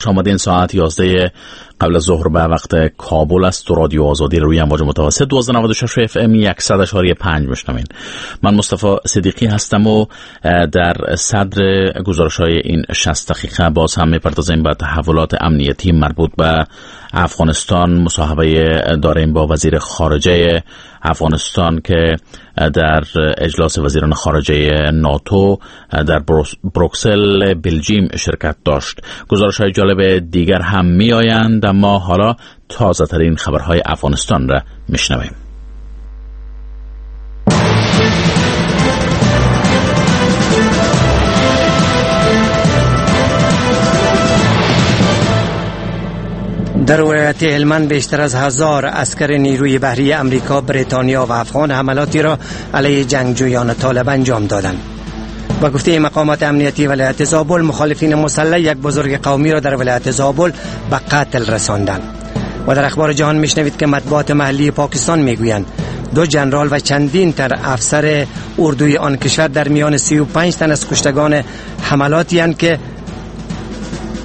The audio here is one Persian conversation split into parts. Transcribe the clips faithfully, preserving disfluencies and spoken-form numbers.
آمدین. ساعت یازده قبل از ظهر به وقت کابل است. رادیو آزادی روی امواج متوسط دوازده نود و شش اف ام صد و پنج میشنوین. من مصطفی صدیقی هستم و در صدر گزارش های این شصت دقیقه باز هم میپردازیم به تحولات امنیتی مربوط به افغانستان. مصاحبه داریم با وزیر خارجه افغانستان که در اجلاس وزیران خارجه ناتو در بروکسل بلژیم شرکت داشت. گزارش های جالب دیگر هم می آیند، اما حالا تازه ترین خبرهای افغانستان را میشنویم. در ولایت هلمند بیشتر از هزار عسکر نیروی بحری امریکا، بریتانیا و افغان حملاتی را علیه جنگجویان طالب انجام دادند. با گفته مقامات امنیتی ولایت زابل، مخالفین مسلح یک بزرگ قومی را در ولایت زابل به قتل رساندند. و در اخبار جهان میشنوید که مطبوعات محلی پاکستان میگویند دو جنرال و چندین تن افسر اردوی آن کشور در میان سی و پنج تن از کشتگان حملاتی اند که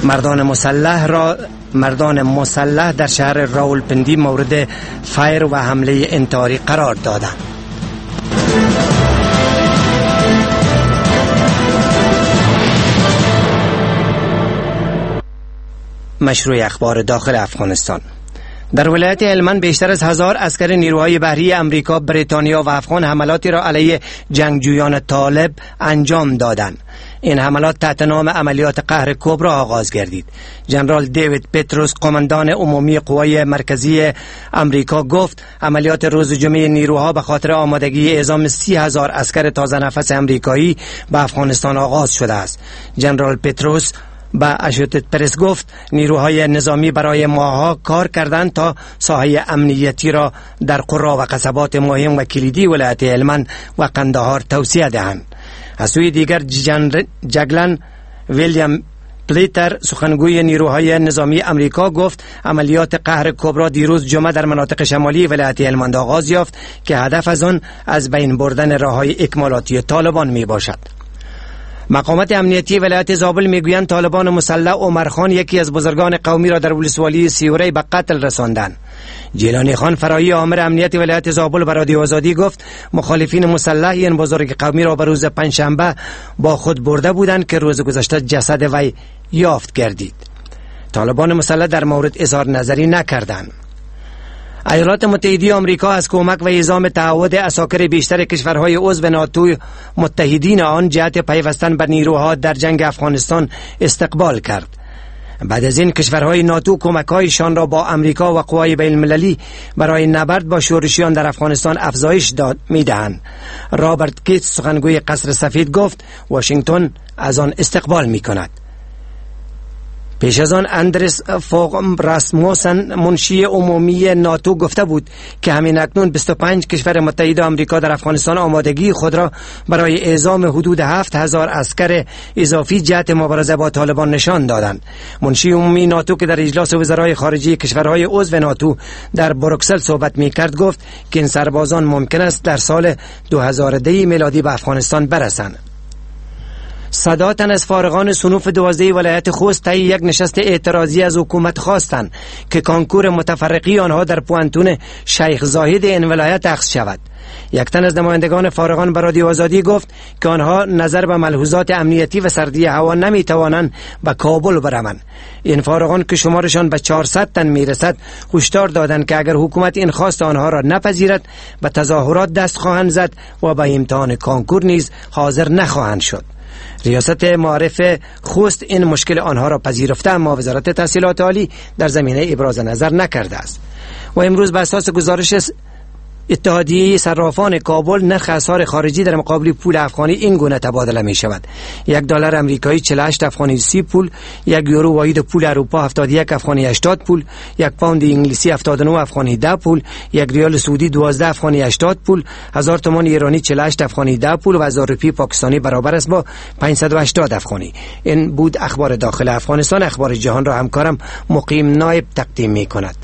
مردان مسلح را مردان مسلح در شهر راولپندی مورد فیر و حمله انتحاری قرار دادند. مشروع اخبار داخل افغانستان. در ولایت هلمند بیشتر از هزار عسکر نیروهای بحری امریکا، بریتانیا و افغان حملاتی را علیه جنگجویان طالب انجام دادند. این حملات تحت نام عملیات قهر کبرا آغاز گردید. جنرال دیوید پتروس، قماندان عمومی قوای مرکزی امریکا، گفت عملیات روز جمعه نیروها به خاطر آمادگی اعزام سی هزار عسکر تازه نفس امریکایی به افغانستان آغاز شده است. جنرال پتروس به اشوتد پرس گفت نیروهای نظامی برای ماه‌ها کار کردند تا ساحه امنیتی را در قرا و قصبات مهم و کلیدی ولایت هلمند و قندهار توسعه دهند. از سوی دیگر جگلن ویلیام پلیتر، سخنگوی نیروهای نظامی امریکا، گفت عملیات قهر کبرا دیروز جمعه در مناطق شمالی ولایت هلمند آغاز یافت که هدف از آن از بین بردن راه‌های اکمالاتی طالبان می باشد. مقامات امنیتی ولایت زابل میگویند طالبان مسلح عمرخان، یکی از بزرگان قومی را در ولسوالی سیوری به قتل رساندند. جیلانی خان فرایی، آمر امنیت ولایت زابل، به رادیو آزادی گفت مخالفین مسلح این بزرگ قومی را به روز پنجشنبه با خود برده بودند که روز گذشته جسد وی یافت گردید. طالبان مسلح در مورد اظهار نظری نکردند. ایالات متحده آمریکا از کمک و اعزام تعهد عساکر بیشتر کشورهای عضو ناتو متحدین آن جهت پیوستن به نیروها در جنگ افغانستان استقبال کرد. بعد از این کشورهای ناتو کمک‌هایشان را با امریکا و قوای بین المللی برای نبرد با شورشیان در افغانستان افزایش داد می‌دهند. رابرت گیتس، سخنگوی قصر سفید، گفت واشنگتن از آن استقبال می‌کند. پیش از آن اندرس فوق راسموسن، منشی عمومی ناتو، گفته بود که همین اکنون بیست و پنج کشور متحد آمریکا در افغانستان آمادگی خود را برای اعزام حدود هفت هزار عسکر اضافی جهت مبارزه با طالبان نشان دادند. منشی عمومی ناتو که در اجلاس وزرای خارجه کشورهای عضو ناتو در بروکسل صحبت می‌کرد گفت که این سربازان ممکن است در سال دو هزار و ده میلادی به افغانستان برسند. صدا تن از فارغان صنوف دوازده ولایت خوست طی یک نشست اعتراضی از حکومت خواستند که کانکور متفرقی آنها در پوانتون شیخ زاهد این ولایت اخذ شود. یک تن از نمایندگان فارغان به رادیو آزادی گفت که آنها نظر به ملحوظات امنیتی و سردی هوا نمی توانند به کابل بروند. این فارغان که شمارشان به چهارصد تن میرسد هشدار دادند که اگر حکومت این خواست آنها را نپذیرد به تظاهرات دست خواهند زد و به امتحان کانکور نیز حاضر نخواهند شد. ریاست معارف خوست این مشکل آنها را پذیرفته، اما وزارت تحصیلات عالی در زمینه ابراز نظر نکرده است. و امروز به اساس گزارش اتحادیه صرافان کابل، نرخ اسعار خارجی در مقابل پول افغانی این گونه تبادله می شود: یک دلار امریکایی چهل و هشت افغانی سی پول، یک یورو واحد پول اروپا هفتاد و یک افغانی هشتاد پول، یک پوند انگلیسی هفتاد و نه افغانی ده پول، یک ریال سعودی دوازده افغانی هشتاد پول، هزار تومان ایرانی چهل و هشت افغانی ده پول و هزار روپیه پاکستانی برابر است با پانصد و هشتاد افغانی. این بود اخبار داخل افغانستان. اخبار جهان را همکارم مقیم نایب تقدیم می کند.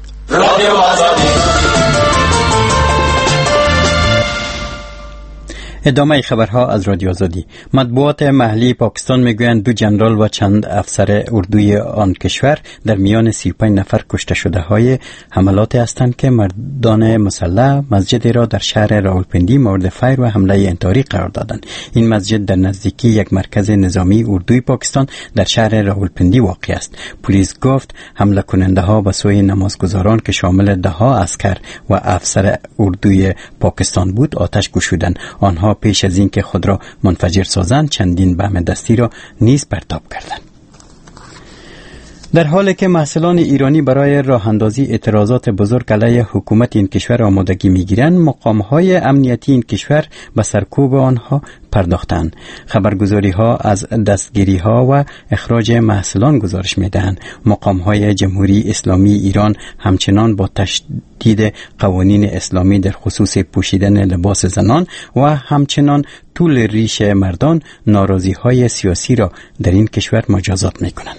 ادامه خبرها از رادیو آزادی. مطبوعات محلی پاکستان میگویند دو جنرال و چند افسر اردوی آن کشور در میان سی و پنج نفر کشته شده های حملات هستند که مردان مسلح مسجد را در شهر راولپندی مورد فیر و حمله انتحاری قرار دادند. این مسجد در نزدیکی یک مرکز نظامی اردوی پاکستان در شهر راولپندی واقع است. پلیس گفت حمله کننده ها به سوی نمازگزاران که شامل ده ها عسکر و افسر اردوی پاکستان بود آتش گشودند. آنها پیش از اینکه خود را منفجر سازند چندین بم دستی را نیز پرتاب کردند. در حالی که محصلان ایرانی برای راه اندازی اعتراضات بزرگ علیه حکومت این کشور آمادگی میگیرند، مقام‌های امنیتی این کشور به سرکوب آنها پرداختند. خبرگزاری‌ها از دستگیری‌ها و اخراج محصلان گزارش می‌دهند. مقام‌های جمهوری اسلامی ایران همچنان با تشدید قوانین اسلامی در خصوص پوشیدن لباس زنان و همچنان طول ریش مردان ناراضی‌های سیاسی را در این کشور مجازات می‌کنند.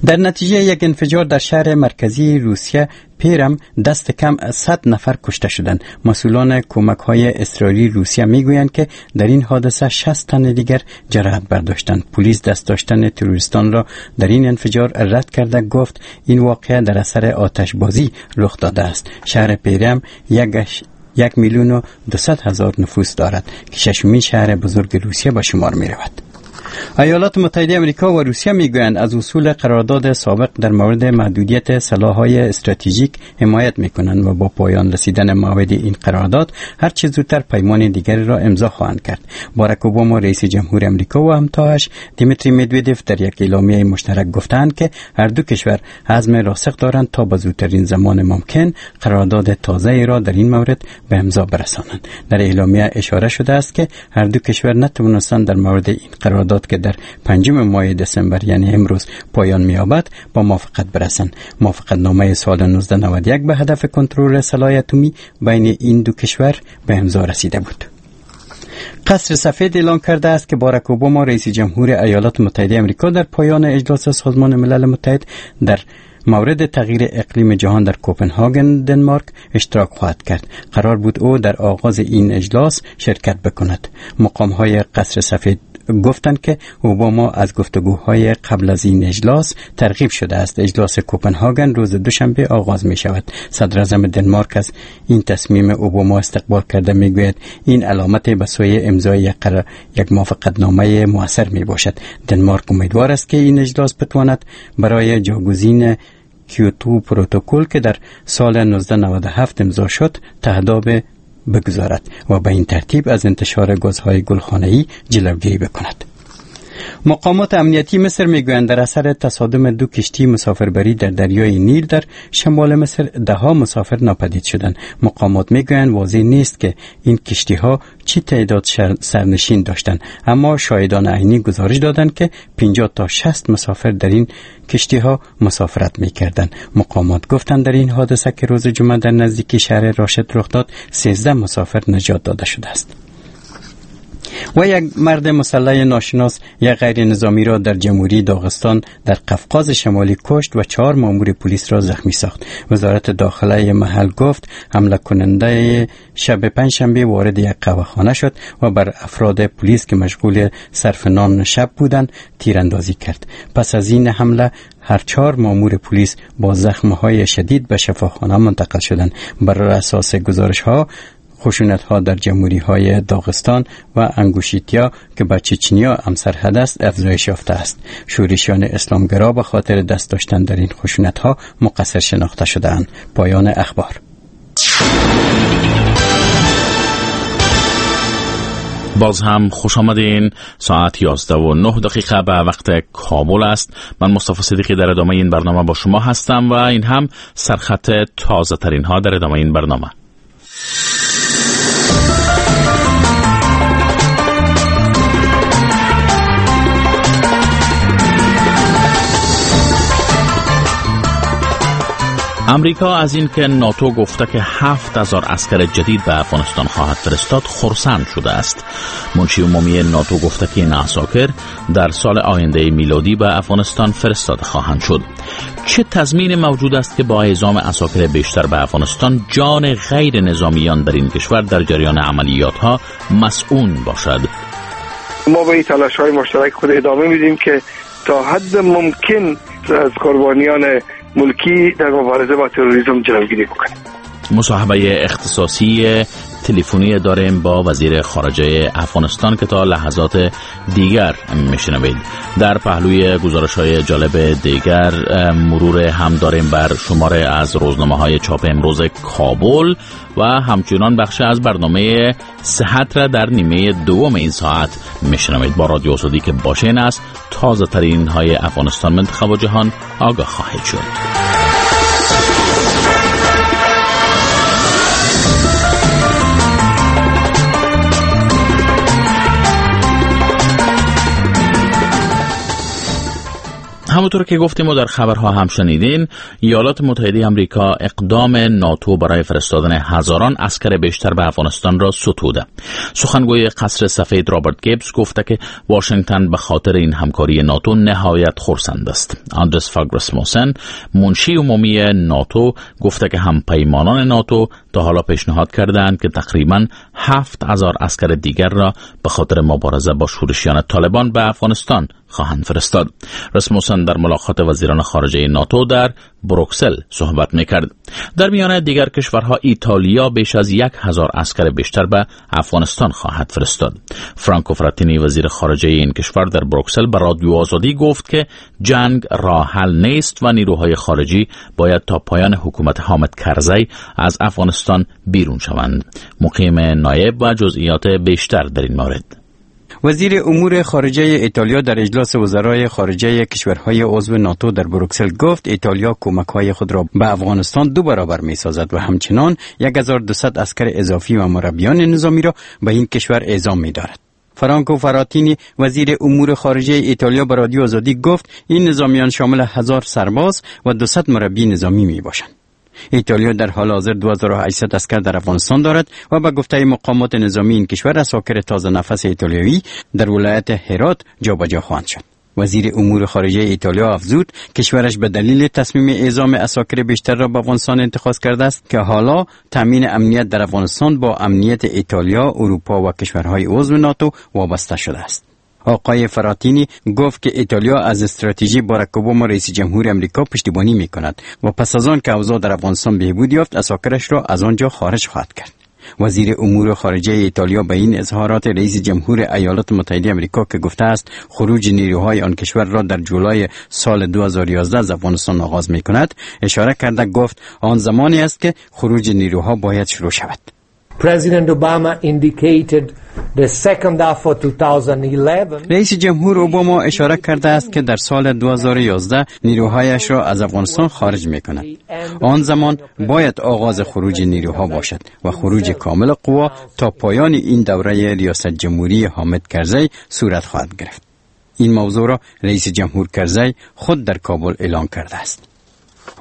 در نتیجه یک انفجار در شهر مرکزی روسیه پیرم دست کم صد نفر کشته شدند. مسئولان کمک‌های اضطراری روسیه میگویند که در این حادثه شصت تن دیگر جراحت برداشتند. پلیس دست داشتن تروریستان را در این انفجار رد کرده گفت این واقعه در اثر آتش‌بازی رخ داده است. شهر پیرم یک یک میلیون و دویست هزار نفوس دارد که ششمین شهر بزرگ روسیه به شمار می رود. ایالات متحده آمریکا و روسیه میگویند از اصول قرارداد سابق در مورد محدودیت سلاح‌های استراتژیک حمایت میکنند و با پایان رسیدن موعد این قرارداد هر چه زودتر پیمان دیگری را امضا خواهند کرد. باراک اوباما رئیس جمهور آمریکا و همتایش دیمیتری مدویدف در یک اعلامیه مشترک گفتند که هر دو کشور عزم راسخ دارند تا به زودترین زمان ممکن قرارداد تازه را در این مورد به امضا برسانند. در اعلامیه اشاره شده است که هر دو کشور نتوانستند در مورد این قرارداد که در پنجم ماه دسامبر یعنی امروز پایان می‌یابد با موافقت برسند. موافقت نامه سال نوزده نود و یک به هدف کنترل سلاح اتمی بین این دو کشور به امضا رسیده بود. قصر سفید اعلام کرده است که باراک اوباما رئیس جمهور ایالات متحده آمریکا در پایان اجلاس سازمان ملل متحد در مورد تغییر اقلیم جهان در کوپنهاگن دنمارک اشتراک خواهد کرد. قرار بود او در آغاز این اجلاس شرکت بکند. مقام‌های قصر سفید گفتند که اوباما از گفتگوهای قبل از این اجلاس ترغیب شده است. اجلاس کوپنهاگن روز دوشنبه آغاز می شود. صدراعظم دنمارک از این تصمیم اوباما استقبال کرده می گوید این علامت به سوی امضای یک, قرار، یک موافقتنامه موثر می باشد. دنمارک امیدوار است که این اجلاس بتواند برای جاگزین کیوتو پروتکل که در سال نوزده نود و هفت امضا شد تهداب بگذارد و به این ترتیب از انتشار گازهای گلخانه‌ای جلوگیری بکند. مقامات امنیتی مصر میگویند در اثر تصادم دو کشتی مسافربری در دریای نیل در شمال مصر ده ها مسافر ناپدید شدند. مقامات میگویند واضح نیست که این کشتی ها چه تعداد سرنشین داشتند، اما شاهدان عینی گزارش دادند که پنجاه تا شصت مسافر در این کشتی ها مسافرت میکردند. مقامات گفتند در این حادثه که روز جمعه در نزدیکی شهر راشد رخ داد سیزده مسافر نجات داده شده است. و یک مرد مسلح ناشناس یک غیر نظامی را در جمهوری داغستان در قفقاز شمالی کشت و چهار مامور پلیس را زخمی ساخت. وزارت داخله محل گفت حمله کننده شب پنجشنبه وارد یک قهوه‌خانه شد و بر افراد پلیس که مشغول صرف نان شب بودند تیراندازی کرد. پس از این حمله هر چهار مامور پلیس با زخم‌های شدید به شفاخانه منتقل شدند. بر اساس گزارش‌ها خشونت‌ها در جمهوری‌های داغستان و انگوشیتیا که با چچنیا هم سرحد است افزایش یافته است. شورشیان اسلامگرا به خاطر دست داشتن در این خشونت‌ها مقصر شناخته شده‌اند. پایان اخبار. باز هم خوش آمدین. ساعت یازده و نه دقیقه به وقت کابل است. من مصطفی صدیقی در ادامه این برنامه با شما هستم و این هم سرخط تازه ترین ها در ادامه این برنامه. امریکا از اینکه ناتو گفته که هفت هزار عسکر جدید به افغانستان خواهد فرستاد خرسند شده است. منشی عمومی ناتو گفته که این عساکر در سال آینده میلادی به افغانستان فرستاده خواهند شد. چه تضمین موجود است که با اعزام عساکر بیشتر به افغانستان جان غیر نظامیان در این کشور در جریان عملیات ها مسئول باشد؟ ما به این تلاش های مشترک خود ادامه میدیم که تا حد ممکن از قربانیان ملکی در مبارزه با تروریسم جلوگیری بکنیم. مصاحبه اختصاصی تلفنی داریم با وزیر خارجه افغانستان که تا لحظات دیگر میشنوید. در پهلوی گزارش‌های جالب دیگر مرور هم داریم بر شماره از روزنامه‌های چاپ امروز کابل و همچنان بخش از برنامه صحت را در نیمه دوم این ساعت میشنوید. با رادیو آزادی که باشین است تازه ترین های افغانستان، منطقه و جهان آگاه خواهید شد. همونطور که گفتیم و در خبرها هم شنیدین، ایالات متحده آمریکا اقدام ناتو برای فرستادن هزاران عسکر بیشتر به افغانستان را ستوده. سخنگوی قصر سفید رابرت گیبز گفته که واشنگتن به خاطر این همکاری ناتو نهایت خرسند است. آندرس فاگ راسموسن منشی عمومی ناتو گفته که همپیمانان ناتو تا حالا پیشنهاد کردند که تقریباً هفت هزار عسکر دیگر را به خاطر مبارزه با شورشیان طالبان به افغانستان خواهند فرستاد. راسموسن در ملاقات وزیران خارجه ناتو در بروکسل صحبت میکرد. در میان دیگر کشورها ایتالیا بیش از یک هزار عسکر بیشتر به افغانستان خواهد فرستاد. فرانکو فراتینی وزیر خارجه این کشور در بروکسل به رادیو آزادی گفت که جنگ راه حل نیست و نیروهای خارجی باید تا پایان حکومت حامد کرزی از افغانستان بیرون شوند. مقیم نایب و جزئیات بیشتر در این مورد. وزیر امور خارجه ایتالیا در اجلاس وزرای خارجه کشورهای عضو ناتو در بروکسل گفت ایتالیا کمک‌های خود را به افغانستان دو برابر می‌سازد و همچنان هزار و دویست عسکر اضافی و مربیان نظامی را به این کشور اعزام می‌دارد. فرانکو فراتینی وزیر امور خارجه ایتالیا به رادیو آزادی گفت این نظامیان شامل هزار سرباز و دویست مربی نظامی می‌باشند. ایتالیا در حال حاضر دو هزار و هشتصد عسکر در افغانستان دارد و به گفته مقامات نظامی این کشور عساکر تازه نفس ایتالیایی در ولایت هرات جابجا خواهند شد. وزیر امور خارجه ایتالیا افزود کشورش به دلیل تصمیم اعزام عساکر بیشتر را به افغانستان اتخاذ کرده است که حالا تامین امنیت در افغانستان با امنیت ایتالیا، اروپا و کشورهای عضو ناتو وابسته شده است. آقای فراتینی گفت که ایتالیا از استراتژی باراک اوباما رئیس جمهور امریکا پشتیبانی می کند و پس از آن که اوضاع در افغانستان بهبود یافت عساکرش را از آنجا خارج خواهد کرد. وزیر امور خارجه ایتالیا به این اظهارات رئیس جمهور ایالات متحده امریکا که گفته است خروج نیروهای آن کشور را در جولای سال دو هزار و یازده از افغانستان آغاز می کند اشاره کرده گفت آن زمانی است که خروج نیروها باید شروع شود. President Obama indicated the second half of twenty eleven. رئیس جمهور اوباما اشاره کرده است که در سال دو هزار و یازده نیروهایش را از افغانستان خارج می کند. آن زمان باید آغاز خروج نیروها باشد و خروج کامل قوا تا پایان این دوره ریاست جمهوری حامد کرزی صورت خواهد گرفت. این موضوع را رئیس جمهور کرزی خود در کابل اعلام کرده است.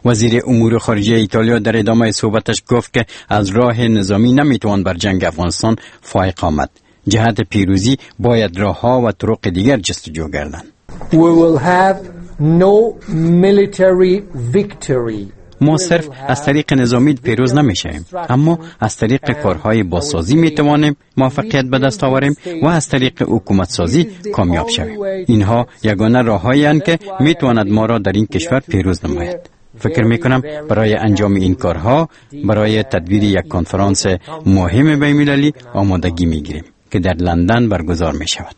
وزیر امور خارجه ایتالیا در ادامه صحبتش گفت که از راه نظامی نمیتوان بر جنگ افغانستان فائق آمد. جهت پیروزی باید راهها و طرق دیگر جستجو گردند. We will have no military victory. ما صرف از طریق نظامی پیروز نمیشویم، اما از طریق کارهای بازسازی میتوانیم موفقیت به دست آوریم و از طریق حکومت سازی کامیاب شویم. اینها یگانه راههایی اند که میتواند ما را در این کشور پیروز نماید. فکر میکنم برای انجام این کارها برای تدبیر یک کنفرانس مهم بین‌المللی آمادگی میگیریم که در لندن برگزار میشود.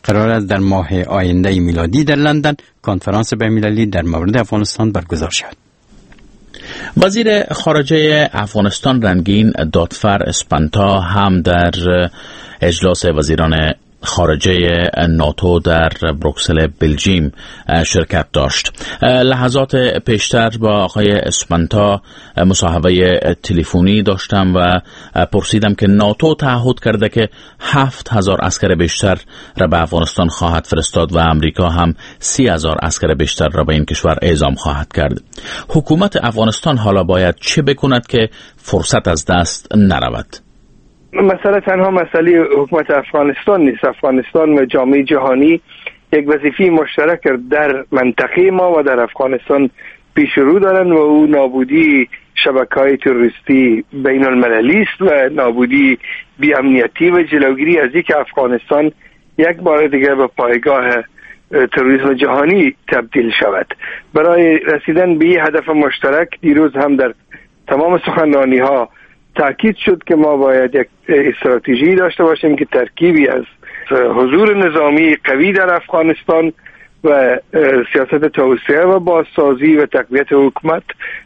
قرار است در ماه آینده میلادی در لندن کنفرانس بین‌المللی در مورد افغانستان برگزار شود. وزیر خارجه افغانستان رنگین دادفر اسپنتا هم در اجلاس وزیران خارجه ناتو در بروکسل بلژیم شرکت داشت. لحظات پیشتر با آقای اسپنتا مصاحبه تلفنی داشتم و پرسیدم که ناتو تعهد کرده که هفت هزار عسکر بیشتر را به افغانستان خواهد فرستاد و امریکا هم سی هزار عسکر بیشتر را به این کشور اعزام خواهد کرد. حکومت افغانستان حالا باید چه بکند که فرصت از دست نرود؟ مسئله تنها مسئله حکومت افغانستان نیست. افغانستان و جامعه جهانی یک وظیفه مشترک در منطقه ما و در افغانستان پیش رو دارند و او نابودی شبکه‌های تروریستی بین المللی است و نابودی بی امنیتی و جلوگیری از اینکه افغانستان یک بار دیگر به پایگاه تروریسم جهانی تبدیل شود. برای رسیدن به هدف مشترک دیروز هم در تمام سخنرانی ها تاکید شد که ما باید یک استراتژی داشته باشیم که ترکیبی از حضور نظامی قوی در افغانستان و سیاست توسعه و بازسازی و تقویت حکومت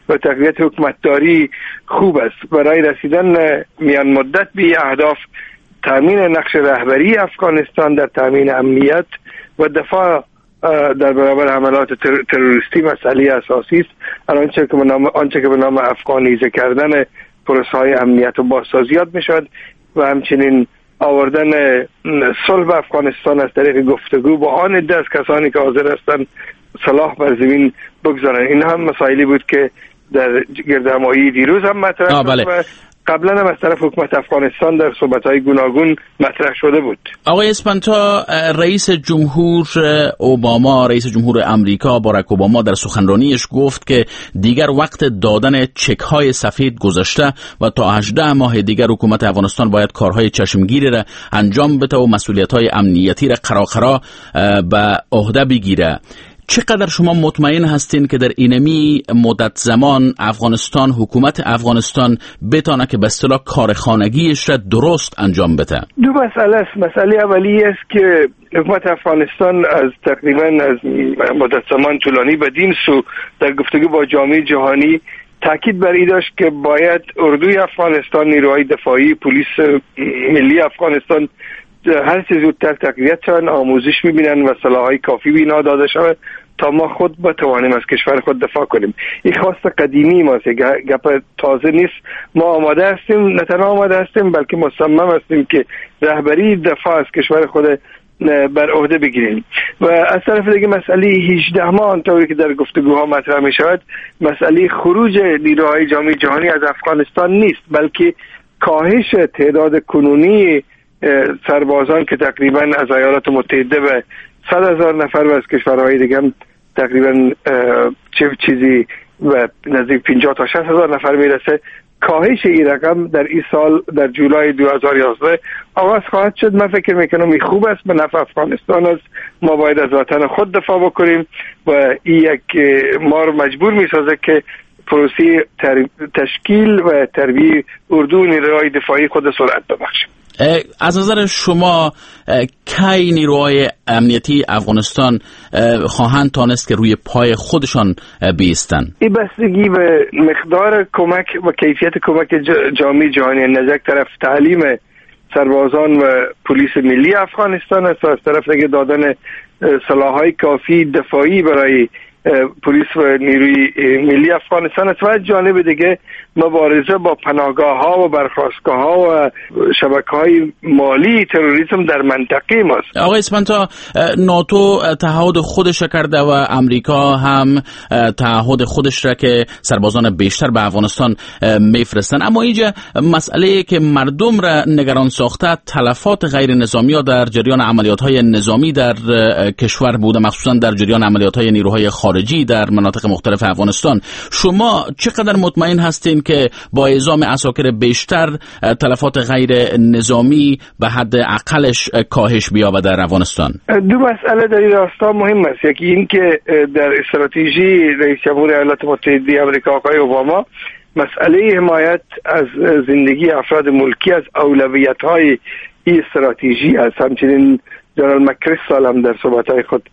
و تقویت حکومتداری خوب است. برای رسیدن میان مدت به اهداف، تامین نقش رهبری افغانستان در تامین امنیت و دفاع در برابر حملات تروریستی مسئله اساسی است. آنچه که به نام آنچه که به نام افغانیزه کردن پروسه‌های امنیت و بازسازیات میشد و همچنین آوردن صلح افغانستان از طریق گفتگو با آن عده از کسانی که حاضر هستند سلاح بر زمین بگذارند. این هم مسائلی بود که در گردهمایی دیروز هم مطرح شد و قبلا هم از طرف حکومت افغانستان در صحبت‌های گوناگون مطرح شده بود. آقای اسپنتا، رئیس جمهور اوباما، رئیس جمهور امریکا باراک اوباما در سخنرانیش گفت که دیگر وقت دادن چک‌های سفید گذشته و تا هجده ماه دیگر حکومت افغانستان باید کارهای چشمگیری را انجام بده و مسئولیت‌های امنیتی را قراقرا به عهده بگیره. چقدر شما مطمئن هستین که در اینمی مدت زمان افغانستان، حکومت افغانستان بتانه که به اصطلاح کارخانگیش را درست انجام بده؟ دو مسئله است. مسئله اولی است که حکومت افغانستان از تقریبا از مدت زمان طولانی بدین سو در گفتگو با جامعه جهانی تاکید بر این داشت که باید اردوی افغانستان، نیروهای دفاعی، پلیس ملی افغانستان هر چه زودتر تقویت شوند، آموزش میبینن و سلاح‌های کافی به اینا داده شود تا ما خود بتوانیم از کشور خود دفاع کنیم. این خواست قدیمی ماست، گپ تازه نیست. ما آماده هستیم، نه تنها آماده هستیم بلکه مصمم هستیم که رهبری دفاع از کشور خود بر عهده بگیریم. و از طرف دیگه مسئله هجده ماه آنطوری که در گفتگوها مطرح می شود مسئله خروج نیروهای جامعه جهانی از افغانستان نیست، بلکه کاهش تعداد کنونی سربازان که تقریبا از ایالات متحده به صد هزار نفر و از کشورهای دیگه هم تقریبا چه چیزی و نزدیک پنجاه تا شصت هزار نفر میرسه. کاهش این رقم در این سال در جولای دو هزار و یازده آغاز خواهد شد. من فکر میکنم این خوب است، به نفع افغانستان است. ما باید از وطن خود دفاع بکنیم و این یک ما رو مجبور میسازه که پروسه تشکیل و تربیه اردو نیروهای دفاعی خود سرعت ببخشیم. از نظر شما کی نیروهای امنیتی افغانستان خواهند تانست که روی پای خودشان بیستند؟ این بستگی به مقدار کمک و کیفیت کمک جامعه جهانی، از یک طرف تعلیم سربازان و پلیس ملی افغانستان است و از طرف دیگه دادن سلاح‌های کافی دفاعی برای پلیس و نیروی ملی افغانستان است و از جانب دیگه مبارزه با پناهگاه ها و برخاستگاه ها و شبکه های مالی تروریسم در منطقه ماست. آقای اسپنتا، ناتو تعهد خودش را کرده و امریکا هم تعهد خودش را که سربازان بیشتر به افغانستان میفرستند، اما اینجا مسئله که مردم را نگران ساخته تلفات غیر نظامی ها در جریان عملیات های نظامی در کشور بوده، مخصوصا در جریان عملیات های نیروهای خارجی در مناطق مختلف افغانستان. شما چقدر مطمئن هستین که با اعزام عساکر بیشتر تلفات غیر نظامی به حد اقلش کاهش بیابد در افغانستان؟ دو مسئله در این راستا مهم است. یکی این که در استراتژی رئیس جمهور ایالات متحده آمریکا آقای اوباما مسئله حمایت از زندگی افراد ملکی از اولویت‌های این استراتژی است. همچنین جنرال مکریستال هم در صحبت‌های خود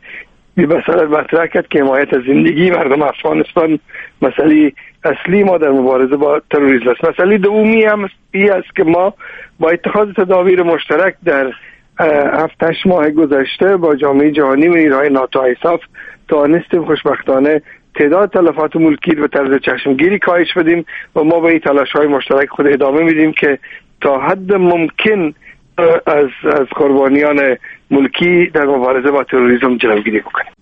به مسئله مطرح کرد که حمایت از زندگی مردم افغانستان مسئله اصلی ما در مبارزه با تروریسم است. مسئله دومی هم این است که ما با اتخاذ تدابیر مشترک در هفت هشت ماه گذشته با جامعه جهانی و نیروهای ناتو ایساف توانستیم خوشبختانه تعداد تلفات ملکی به طرز چشمگیری کاهش بدیم و ما به این تلاش‌های مشترک خود ادامه میدیم که تا حد ممکن از از قربانیان ملکی در مبارزه با تروریسم جلوگیری بکنیم.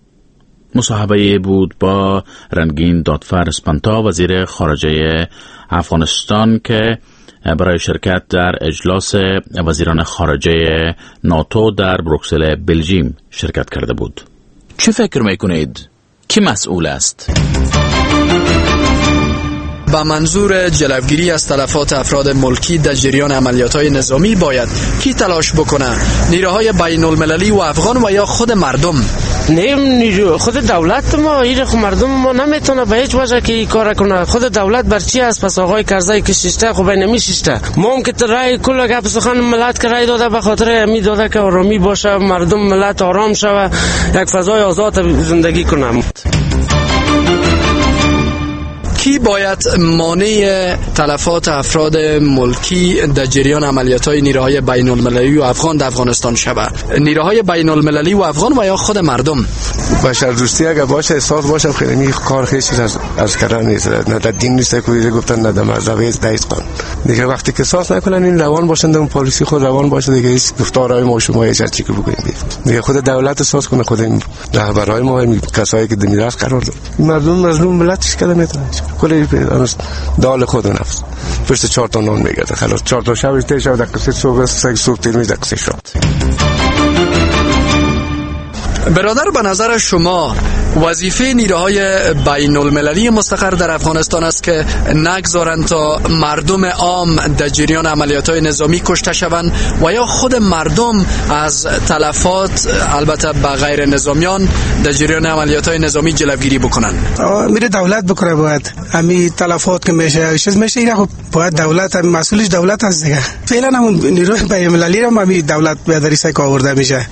مصاحبه بود با رنگین دادفر اسپنتا، وزیر خارجه افغانستان، که برای شرکت در اجلاس وزیران خارجه ناتو در بروکسل بلژیم شرکت کرده بود. چه فکر میکنید؟ کی مسئول است؟ به منظور جلوگیری از تلفات افراد ملکی در جریان عملیات‌های نظامی باید کی تلاش بکنه؟ نیروهای بین المللی و افغان و یا خود مردم؟ نه، نیرو خود دولت ما، این خود مردم ما نمیتونه به هیچ وجه که این کار کنه. خود دولت بر چی است؟ پس آقای کرزی که ششته خب نمی ششته. ما هم که رای کل گپ سخن ملت که رای داده به خاطر می داده که آرامی باشه، مردم ملت آرام شوه، یک فضای آزاد زندگی کنه. کی باید مانع تلفات افراد ملکی در جریان عملیات‌های نیروهای بین المللی و افغان در افغانستان شود؟ نیروهای بین المللی و افغان و یا خود مردم؟ بشر دوستی اگر باشه، احساس باشه، خیلی کار خیلی چیز از از کردن نیست، نه در دین نیست که گفتن، نه در مذهب نیست، در قانون دیگه. وقتی که احساس نکنن، این روان باشن، اون پالیسی خود روان باشه دیگه، هیچ گفتارهای ما شما هیچ چیزی که بگیم دیگه، خود دولت احساس کنه، خود این رهبرهای ما، کسایی که میراث قرار داد، مردم مظلوم ملت چه میتونه کلی دال خود نفس پشت چهار تا نان میگرده، خلاص چهار تا شب تیر شب دقیقه صبح سه صبح تیر میشه دقیقه شب. برادر، به نظر شما وظیفه نیروهای بین المللی مستقر در افغانستان است که نگذارند تا مردم عام در جریان عملیات‌های نظامی کشته شوند و یا خود مردم از تلفات البته به غیر نظامیان در جریان عملیات‌های نظامی جلوگیری بکنند؟ میره دولت بکنه، باید همین تلفات که میشه چیز میشه اینا، خب باید دولت، مسئولش دولت است دیگه. فعلا هم نیروی بین المللی رو همین دولت به دریسه که آورده میشه.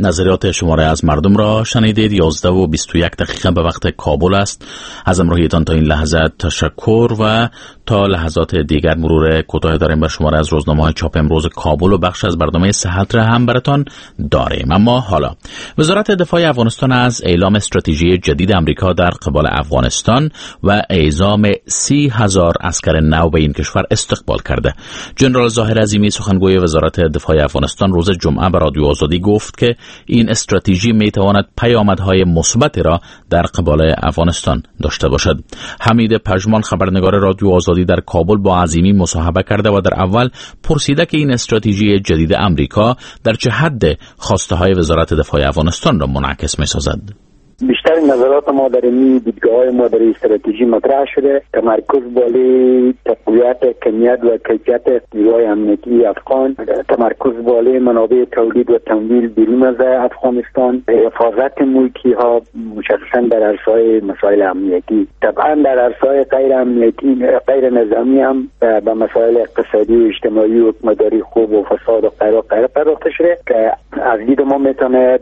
نظریات شماره از مردم را شنیدید. یازده و بیست و یک دقیقه به وقت کابل است. از همراهیتان تا این لحظه تشکر و تا لحظات دیگر مرور کوتاه داریم بر شماره از روزنامه‌های چاپ امروز کابل و بخش از برنامه صحت را هم براتان داریم. اما حالا وزارت دفاع افغانستان از اعلام استراتژی جدید امریکا در قبال افغانستان و اعزام سی هزار عسکر نو به این کشور استقبال کرده. جنرال ظاهر عظیمی، سخنگوی وزارت دفاع افغانستان، روز جمعه به رادیو آزادی گفت که این استراتژی می تواند پیامدهای مثبت را در قبال افغانستان داشته باشد. حمید پژمان، خبرنگار رادیو آزادی در کابل، با عظیمی مصاحبه کرده و در اول پرسیده که این استراتژی جدید امریکا در چه حد خواسته های وزارت دفاع افغانستان را منعکس می سازد. بیشتر نظرات ما در این دیدگاه‌های ما در استراتژی مطرح شده، تمرکز بالای تقویت کمیت و کیفیت نیروهای امنیتی افغان، تمرکز بالای منابع تولید و تمویل بیرون از افغانستان، حفاظت ملکی ها مشخصا در عرصه‌های مسائل امنیتی، طبعا در عرصه‌های غیر امنیتی غیر نظامی هم به مسائل اقتصادی و اجتماعی و حکومتداری خوب و فساد و غیره و غیره پرداخته شده که از دید ما میتونه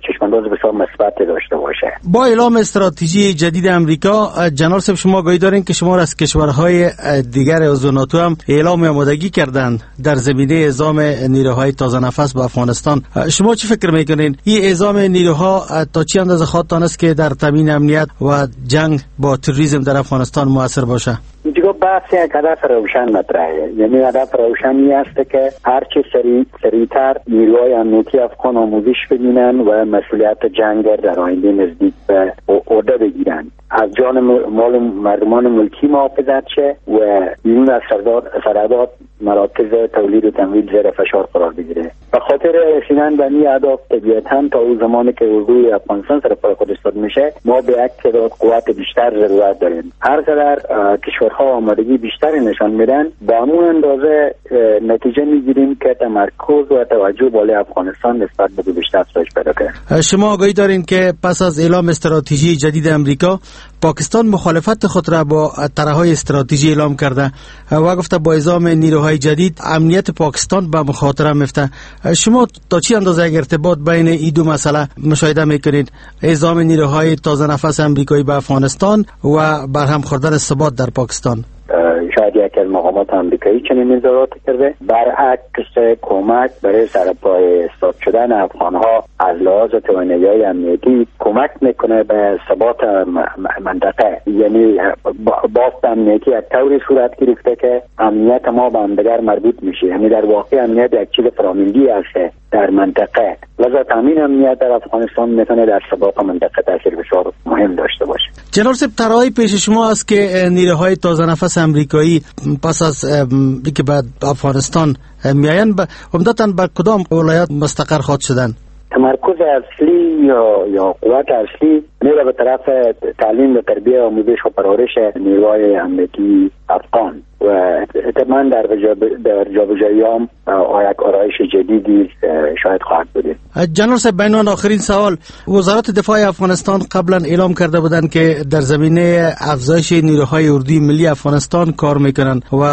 چشم‌انداز بسیار مثبت داشته باشه. با اعلام استراتژی جدید امریکا، جنرال صاحب، شما گاهی دارین که شما از کشورهای دیگر عضو ناتو هم اعلام آمادگی کردند در زمینه اعزام نیروهای تازه نفس به افغانستان. شما چی فکر میکنین این اعزام نیروها تا چه اندازه خواهد توانست که در تامین امنیت و جنگ با تروریسم در افغانستان موثر باشه؟ دیگه بحث یک هدف روشن مطرحه، یعنی هدف روشنی است که هرچه سریع سریعتر نیروهای امنیتی افغان آموزش ببینن و مسئولیت جنگ در آینده نزدیک به عهده بگیرن، از جان مال مردمان ملکی محافظت شه و بیرون از سرحدات مراکز تولید و تمویل زیر فشار قرار بگیره. به خاطر رسیدن به این اهداف طبیعتاً تا اون زمانی که اردوی افغانستان سر پای خود ایستاد میشه ما به یک تعداد قوت بیشتر ضرورت داریم. هر قدر کشورها آمادگی بیشتری نشان میدن به همون اندازه نتیجه میگیریم که تمرکز و توجه بالای افغانستان نسبت به گذشته افزایش پیدا کرد. شما آگاهی دارین که پس از اعلام استراتژی جدید امریکا، پاکستان مخالفت خود را با طرح‌های استراتژی اعلام کرده و گفته با اعزام نیروهای جدید امنیت پاکستان به مخاطره میفته. شما تا چه اندازه ارتباط بین این دو مسئله مشاهده میکنید، اعزام نیروهای تازه نفس امریکایی به افغانستان و برهم خوردن ثبات در پاکستان؟ شاید یک یکی از مقامات آمریکایی چنین اظهارات کرده. برعکس کمک برای سرپای استاد شدن افغانها از لحاظ توانایی‌های امنیتی کمک میکنه به ثبات منطقه. یعنی بافت امنیتی یک طوری صورت گرفته که امنیت ما به همدیگر مربوط میشه، یعنی در واقع امنیت یک چیز فراملی است در منطقه، لذا تامین امنیت در افغانستان میتونه در ثبات منطقه تاثیر بسیار مهم داشته باشه. جنرال صاحب، طرحی پیش شما است که نیروهای تازه نفس امریکایی پس از اینکه به افغانستان میآیند عمدتاً به کدام ولایت مستقر خواهد شدند؟ تمرکز اصلی یا یا قوت اصلی میره به طرف تعلیم و تربیه، آموزش و پرورش نیروهای امنیتی افغان و احتمالاً در در جابجایی هم یک آرایش جدیدی شاید خواهد بود. جنرال صاحب، بینان آخرین سوال، وزارت دفاع افغانستان قبلا اعلام کرده بودند که در زمینه افزایش نیروهای اردوی ملی افغانستان کار میکنند و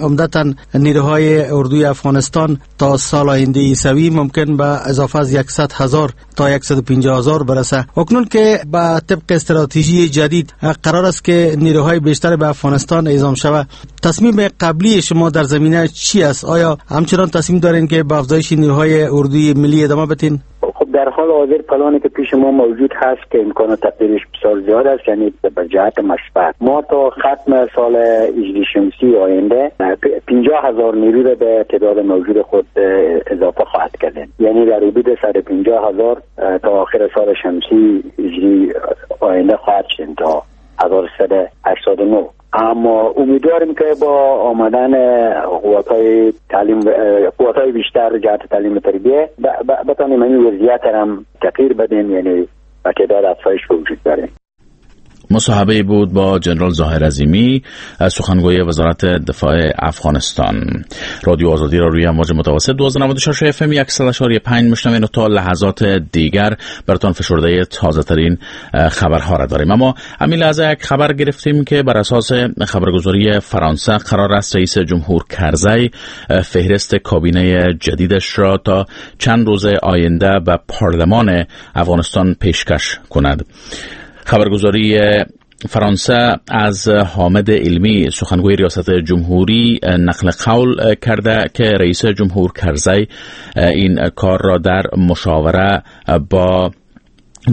عمدتاً نیروهای اردوی افغانستان تا سال آینده عیسوی ممکن به اضافه از صد هزار تا صد و پنجاه هزار برسه. اکنون که به طبق استراتژی جدید قرار است که نیروهای بیشتر به افغانستان اعزام شود، تصمیم قبلی شما در زمینه چی است؟ آیا همچنان تصمیم دارین که به افزایش نیروهای اردوی ملی ادامه بدین؟ خب در حال حاضر پلانی که پیش ما موجود هست که امکان تغییرش بسیار زیاد است، یعنی به جهت مثبت ما تا ختم سال هجری شمسی آینده پنجاه هزار نیرو را به تعداد موجود خود اضافه خواهد کرد، یعنی در حدود صد و پنجاه هزار تا آخر سال شمسی هجری آینده خواهد شد تا هزار و سیصد و هشتاد و نه. اما امیدواریم که با آمدن قوت‌های تعلیم، قوت‌های بیشتر جهت تعلیم و تربیه بتانیم این وضعیت هم تغییر بدیم، یعنی با تعداد افزایش وجود داره. مصاحبه بود با جنرال ظاهر عظیمی، سخنگوی وزارت دفاع افغانستان. رادیو آزادی را روی امواج متوسط دوازده نود و شش اف ام صد و پنج مشنوین و تا لحظات دیگر براتان فشرده تازه ترین خبرها را داریم. اما همین لحظه یک خبر گرفتیم که بر اساس خبرگزاری فرانسه قرار است رئیس جمهور کرزی فهرست کابینه جدیدش را تا چند روز آینده به پارلمان افغانستان پیشکش کند. خبرگزاری فرانسه از حامد علمی، سخنگوی ریاست جمهوری، نقل قول کرده که رئیس جمهور کرزی این کار را در مشاوره با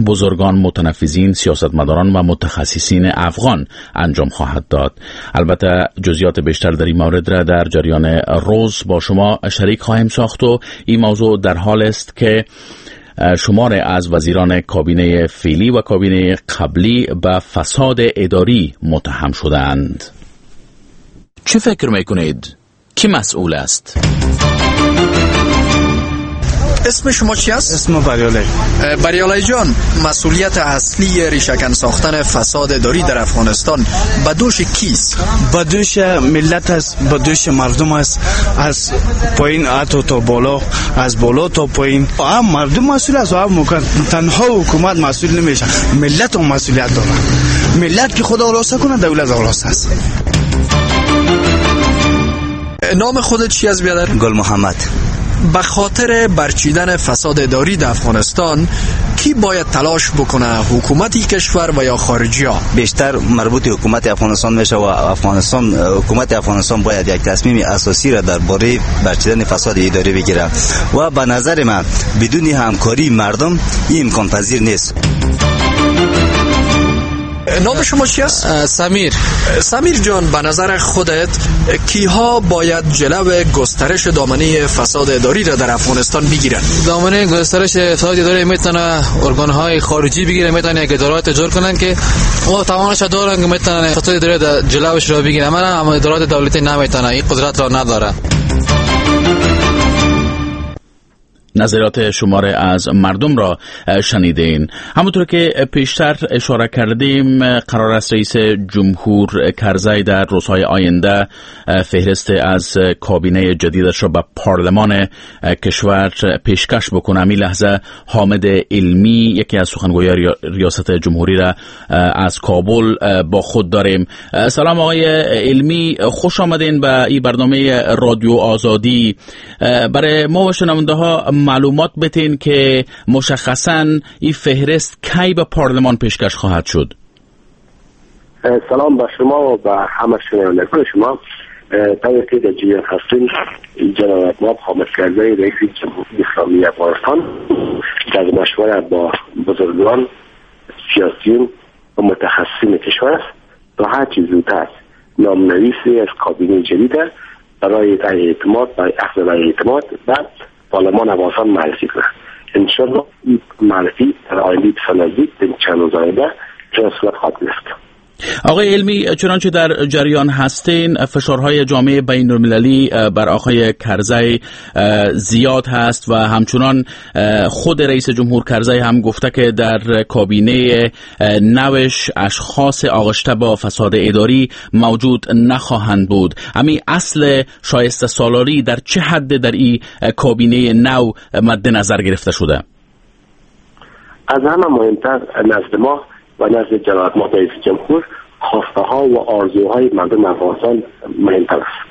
بزرگان، متنفذین، سیاستمداران و متخصصین افغان انجام خواهد داد. البته جزئیات بیشتر در این مورد را در جریان روز با شما شریک خواهیم ساخت و این موضوع در حال است که شمار از وزیران کابینه فعلی و کابینه قبلی به فساد اداری متهم شدند. چه فکر میکنید؟ کی مسئول است؟ اسم شما چی است؟ اسم بریالی. بریالی جان، مسئولیت اصلی ریشه‌کن ساختن فساد اداری در افغانستان به دوش کیست؟ به دوش ملت است، به دوش مردم است، از پایین حتی تا بالا، از بالا تا پایین. هم مردم مسئول است و هم تنها حکومت مسئول نمیشه، ملت هم مسئولیت داره. ملت که خدا راست کنه، دولت راست است. نام خودت چی است بیادر؟ گل محمد. به خاطر برچیدن فساد اداری در افغانستان کی باید تلاش بکنه، حکومتی کشور و یا خارجی ها؟ بیشتر مربوط حکومت افغانستان میشه و افغانستان، حکومت افغانستان باید یک تصمیم اساسی را درباره برچیدن فساد اداری بگیره و به نظر من بدون همکاری مردم این امکان پذیر نیست. نام شما چی است؟ سمیر. سمیر جان، به نظر خودت کیها باید جلو گسترش دامنه فساد اداری را در افغانستان بگیرند؟ دامنه گسترش فساد اداری میتونه ارگان‌های خارجی بگیره، میتونه یک ادارات جور کنن که او توانش دارن که میتونه فساد اداری در جلوش را بگیره، اما ادارات دولتی نمیتونه، این قدرت را نداره. نظریات شماره از مردم را شنیدین. همونطور که پیشتر اشاره کردیم، قرار است رئیس جمهور کرزی در روزهای آینده فهرست از کابینه جدیدش را به پارلمان کشور پیشکش بکنه. همین لحظه حامد علمی، یکی از سخنگویان ریاست جمهوری را از کابل با خود داریم. سلام آقای علمی، خوش آمدین به این برنامه رادیو آزادی. برای ما و شنونده ها معلومات بتین که مشخصاً این فهرست کی به پارلمان پیشکش خواهد شد؟ سلام به شما و به همه شنوندگان شما. طوری که در جریان هستیم، جلالت مآب حامد کرزی رئیس جمهوری اسلامی افغانستان در مشوره با بزرگان، سیاسیون و متخصصین کشور است تا هر چیز زودتر نامنویسی از کابینه جدید برای رأی اعتماد، برای اخذ رأی اعتماد و پارلمان افغانستان معرفی کنه. انشاءالله این معرفی در آینده بسیار نزدیک در چند روز آینده صورت خواهد گرفت. آقای علمی، چنانچه در جریان هستین فشارهای جامعه بین المللی بر آقای کرزی زیاد هست و همچنان خود رئیس جمهور کرزی هم گفته که در کابینه نوش اشخاص آغشته با فساد اداری موجود نخواهند بود. همین اصل شایسته سالاری در چه حد در این کابینه نو مد نظر گرفته شده؟ از همه مهمتر نزد ما و نزد جلالت مآب رئیس جمهور خواسته ها و آرزوهای مردم افغانستان مهمتر است.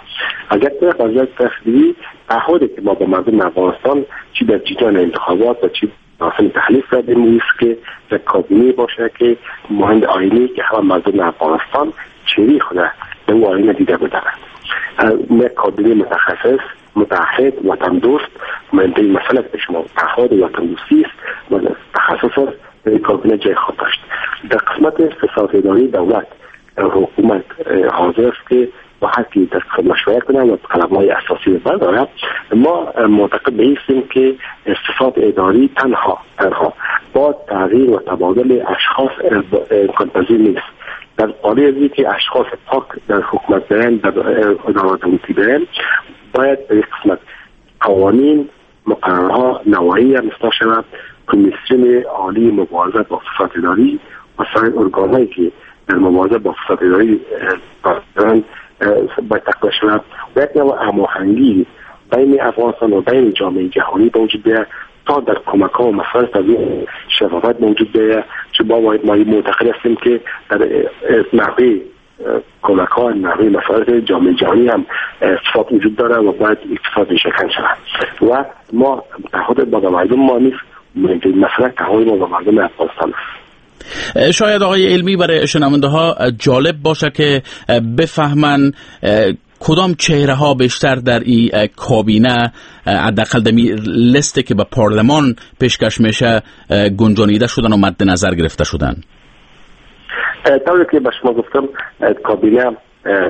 از یک طرف از یک طرف دیگه تعهدی که ما با مردم افغانستان چی در جریان انتخابات و چی مراسم تحلیف کردیم است که یک کابینه باشه که مهند آینه که همه مردم افغانستان چهره خود به او آینه دیده بودند. یک کابینه متخصص، متعهد، وطن دوست، مهمترین مسئله که شما تعهد وطن دوستی است و تخصص است در کابینه جای خود داشت. در قسمت فساد اداری دولت حکومت حاضر است که با هر کی در مشورت کنه و قلم‌های اساسی بردارد. ما معتقد به این که فساد اداری تنها تنها با تغییر و تبادل اشخاص امکان پذیر نیست. در قالب از که اشخاص پاک در حکومت برن، در ادارات دولتی برن، باید به قسمت قوانین، مقررها، نواحی هم اصلاح شود. کمیسیون عالی مبارزه با فساد اداری و سایر ارگان‌هایی که در مبارزه با فساد اداری دارند باید تقویت شود و یک نوع هماهنگی بین افغانستان و بین جامعه جهانی به وجود بیاید تا در کمک‌ها و مسائل تضمین شفافیت موجود بیاید. چون ما معتقد هستیم که در نحوه کمک‌ها، نحوه مسائل جامعه جهانی هم فساد وجود داره و باید فساد ریشه‌کن شود و ما تعهد با مردم ما نیست، مسئله تعهد ما با مردم افغانستان است. شاید آقای علمی برای شنونده ها جالب باشه که بفهمن کدام چهره ها بیشتر در این کابینه حداقل در لیستی که به پارلمان پیشکش میشه گنجانیده شدن و مد نظر گرفته شدن. طوری که به شما گفتم کابینه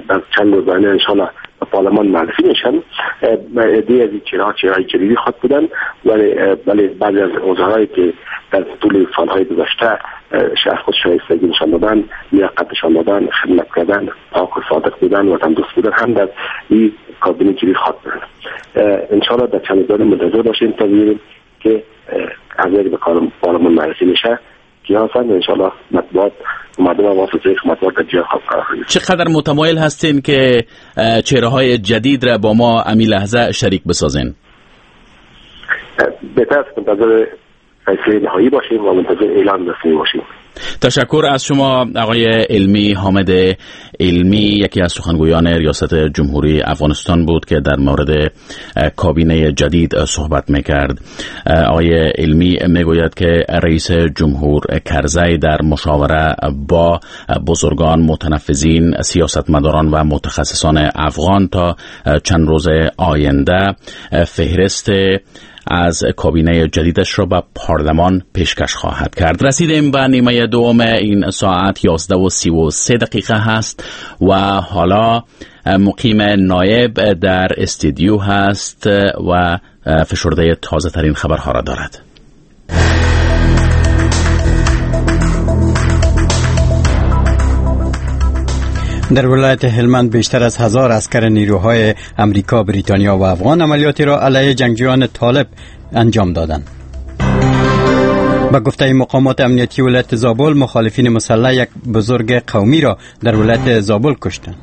در چند روز آینده انشاءالله به پارلمان معرفی میشن. عده‌ای از این چهره‌ها چهره‌های جدیدی خواهد بودن، ولی ولی بعضی از وزرایی که در طول سالهای گذشته از خود شایستگی نشان دادن، لیاقت نشان دادن، خدمت کردن، پاک و صادق بودن، وطن دوست بودن هم در این کابینه جدید خواهد بودن. انشاءالله در چند روز منتظر باشیم تا ببینیم که از به پارلمان معرفی میشه کیا هستند. انشاءالله مطبوعات مردم واسطه مطبوعات در جای خود قرار خواهد. چقدر متمایل هستین که چهره های جدید را با ما امی لحظه شریک بسازین؟ بهتر است منتظر فیصله نهایی باشیم و منتظر اعلان رسمی باشیم. تشکر از شما آقای علمی. حامد علمی یکی از سخنگویان ریاست جمهوری افغانستان بود که در مورد کابینه جدید صحبت میکرد. آقای علمی میگوید که رئیس جمهور کرزی در مشاوره با بزرگان، متنفذین، سیاستمداران و متخصصان افغان تا چند روز آینده فهرست از کابینه جدیدش را به پارلمان پیشکش خواهد کرد. رسیدیم به نیمه دوم این ساعت یازده و سی و سه دقیقه هست و حالا مقیم نایب در استودیو هست و فشرده تازه ترین خبرها را دارد. در ولایت هلمند بیشتر از هزار عسکر نیروهای امریکا، بریتانیا و افغان عملیاتی را علیه جنگجویان طالب انجام دادند. به گفته مقامات امنیتی ولایت زابل، مخالفین مسلح یک بزرگ قومی را در ولایت زابل کشتند.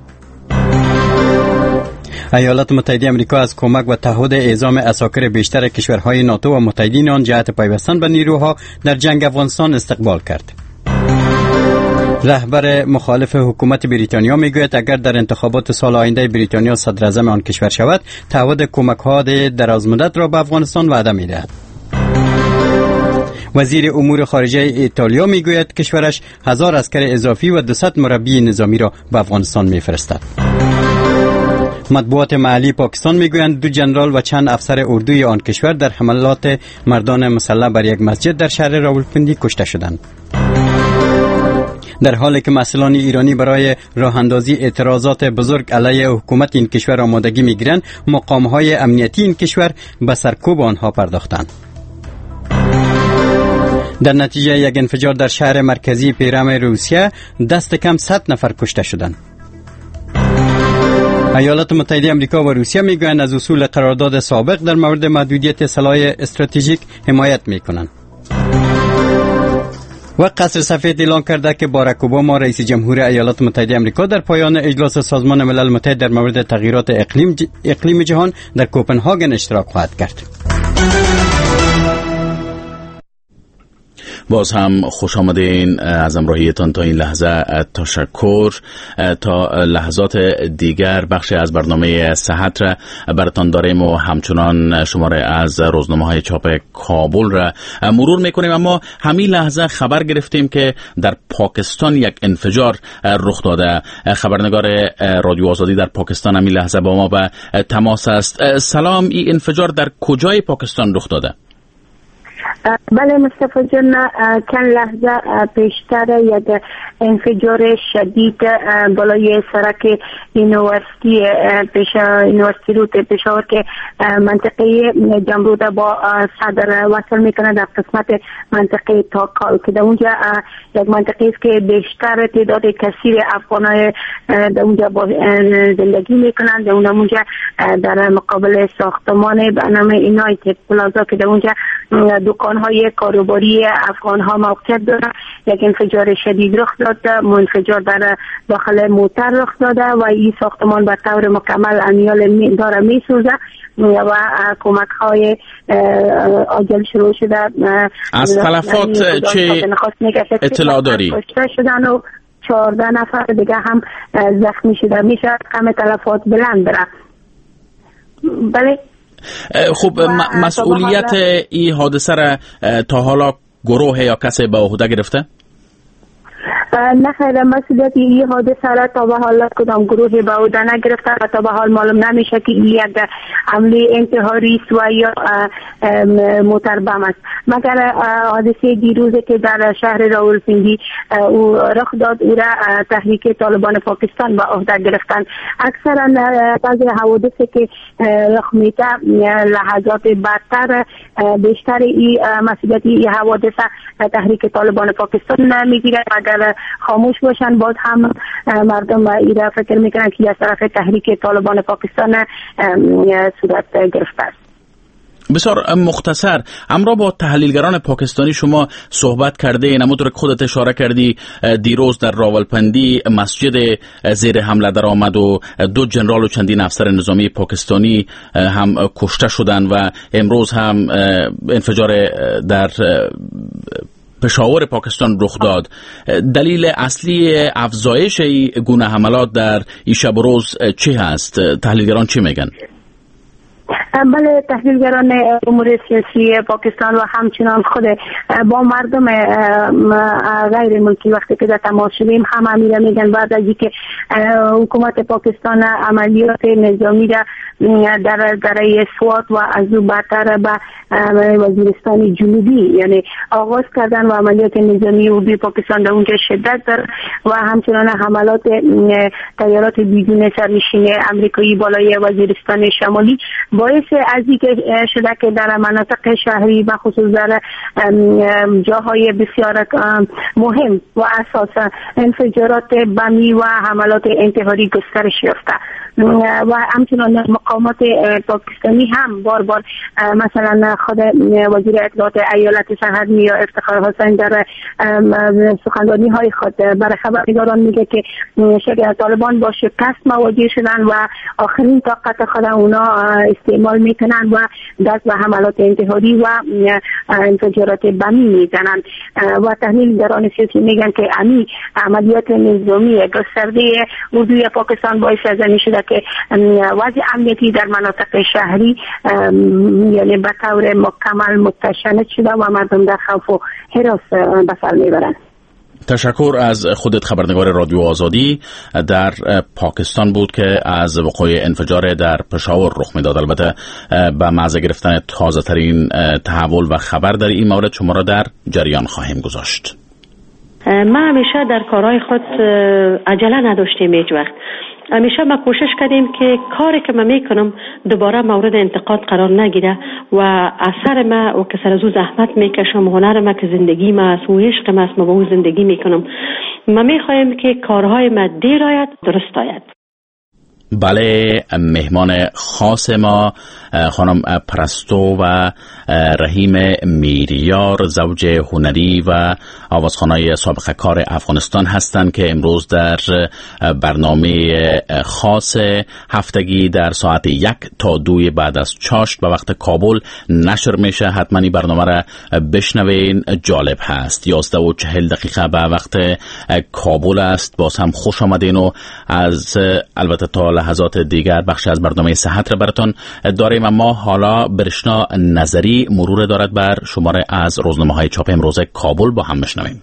ایالات متحده آمریکا از کمک و تعهد اعزام عساکر بیشتر کشورهای ناتو و متحدین آن جهت پیوستن به نیروها در جنگ افغانستان استقبال کرد. رهبر مخالف حکومت بریتانیا میگوید اگر در انتخابات سال آینده بریتانیا صدراعظم آن کشور شود، تعهد کمک‌ها درازمدت را به افغانستان وعده می‌دهد. وزیر امور خارجه ایتالیا میگوید کشورش هزار عسکر اضافی و دویست مربی نظامی را به افغانستان میفرستد. مطبوعات محلی پاکستان میگویند دو جنرال و چند افسر اردوی آن کشور در حملات مردان مسلح بر یک مسجد در شهر راولپندی کشته شدند. در حالی که مسئولان ایرانی برای راه اندازی اعتراضات بزرگ علیه حکومت این کشور آمادگی میگیرند، مقام‌های امنیتی این کشور به سرکوب آنها پرداختند. در نتیجه یک انفجار در شهر مرکزی پیرم روسیه دست کم صد نفر کشته شدند. ایالات متحده آمریکا و روسیه میگویند از اصول قرارداد سابق در مورد محدودیت سلاح استراتژیک حمایت میکنند. و قصر سفید اعلان کرده که باراک اوباما رئیس جمهور ایالات متحده آمریکا در پایان اجلاس سازمان ملل متحد در مورد تغییرات اقلیم ج... اقلیم جهان در کوپنهاگن اشتراک خواهد کرد. باز هم خوش آمدین از همراهیتان تا این لحظه تشکر. تا لحظات دیگر بخش از برنامه صحت را براتان داریم و همچنان شماره از روزنامه های چاپ کابل را مرور میکنیم. اما همین لحظه خبر گرفتیم که در پاکستان یک انفجار رخ داده. خبرنگار رادیو آزادی در پاکستان همین لحظه با ما به تماس است. سلام، این انفجار در کجای پاکستان رخ داده؟ بله مصطفی جان، چند لحظه پیشتر یک انفجار شدید بالای سرک یونیورسیتی پیش یونیورسیتی روت پشاور که منطقه جمرود با صدر وصل میکنه در قسمت منطقه تاکال که در اونجا یک منطقه است که بیشتر تعداد کثیر افغانای در اونجا زندگی میکنند. در اونجا در مقابل ساختمان به نام اینایت پلازا که در اونجا دکان‌های کاروباری افغان‌ها موقعیت دارند، یک انفجار شدید رخ داد. انفجار در داخل موتر رخ داده و این ساختمان به طور مکمل امیال داره میسوزه و کمک های عاجل شروع شده. از تلفات چه اطلاع داری؟ کشته شدن و چهارده نفر دیگه هم زخمی شده. میشه کم تلفات بلند بره. بله خب، مسئولیت این حادثه را تا حالا گروه یا کسی به عهده گرفته؟ نه خیر، مسئولیت این حادثه را تا به حال کدام گروه به عهده نگرفته و تا به حال معلوم نمیشه که این یک عملی انتحاری است و یا موتر بم است. مگر حادثه دیروز که در شهر راولپندی او رخ داد، او را تحریک طالبان پاکستان به عهده گرفتن. اکثرا بعضی حوادث که رخ میده لحظات بدتر بیشتر این مسئولیت این حوادث تحریک طالبان پاکستان میگیره. اگر خاموش باشن باز هم مردم ایرا فکر میکنن که از طرف تحریک طالبان پاکستان صورت گرفته است. بسیار مختصر همراه با تحلیلگران پاکستانی شما صحبت کرده، همونطور که خودت اشاره کردی دیروز در راولپندی مسجد زیر حمله در آمد و دو جنرال و چندین افسر نظامی پاکستانی هم کشته شدند و امروز هم انفجار در پشاور پاکستان رخ داد. دلیل اصلی افزایش این گونه حملات در این شب و روز چه هست؟ تحلیلگران چی میگن؟ بله، تحلیلگران امور سیاسی پاکستان و همچنان خود با مردم غیر ملکی وقتی که در تماس شدیم هم امیره میگن بعد از اینکه حکومت پاکستان عملیات نظامی را در دره سوات و از او بعدتر به وزیرستان جنوبی یعنی آغاز کردن و عملیات نظامی اردوی پاکستان در اونجا شدت دارد و همچنان حملات طیارات بدون سرنشین امریکایی بالای وزیرستان شمالی باعث از اینکه شده که در مناطق شهری و خصوص در جاهای بسیار مهم و اساس انفجارات بمی و حملات انتحاری گسترش یافته و همچنان مقامات پاکستانی هم بار بار مثلا خود وزیر اطلاعات ایالت سرحد یا افتخار حسین در سخنرانی های خود برای خبرنگاران میگه که طالبان با شکست مواجه شدن و آخرین طاقت خود اونا استعمال میکنن و دست به حملات انتحاری و انفجارات بمی میزنن و تحلیلگران سیاسی میگن که امی عملیات نظامی گسترده اردوی پاکستان باعث از این شده که وضع امنیتی در مناطق شهری یعنی به طور مکمل متشنج شده و مردم در خوف و هراس به سر میبرند. تشکر از خودت. خبرنگار رادیو آزادی در پاکستان بود که از وقوع انفجار در پشاور رخ میداد. البته به محض گرفتن تازه ترین تحول و خبر در این مورد شما را در جریان خواهیم گذاشت. ما همیشه در کارهای خود عجله نداشتیم هیچ وقت. همیشه ما کوشش کردیم که کاری که من میکنم دوباره مورد انتقاد قرار نگیره و اثر ما و که سر از او زحمت میکشم، هنر ما که زندگی ما است و عشق ما است، ما با او زندگی میکنم. ما میخوایم که کارهای ما دیر آید درست آید. بله، مهمان خاص ما خانم پرستو و رحیم میریار، زوج هنری و آوازخوانای سابقه کار افغانستان هستند که امروز در برنامه خاص هفتگی در ساعت یک تا دوی بعد از چاشت به وقت کابل نشر میشه. حتما این برنامه را بشنوین، جالب هست. یازده و چهل دقیقه به وقت کابل است. باز هم خوش آمدین و از البته تا لحظات دیگر بخش از برنامه صحت را براتون داریم. اما حالا برشنا نظری مرور دارد بر شماره از روزنامه‌های چاپ امروز کابل، با هم بشنویم.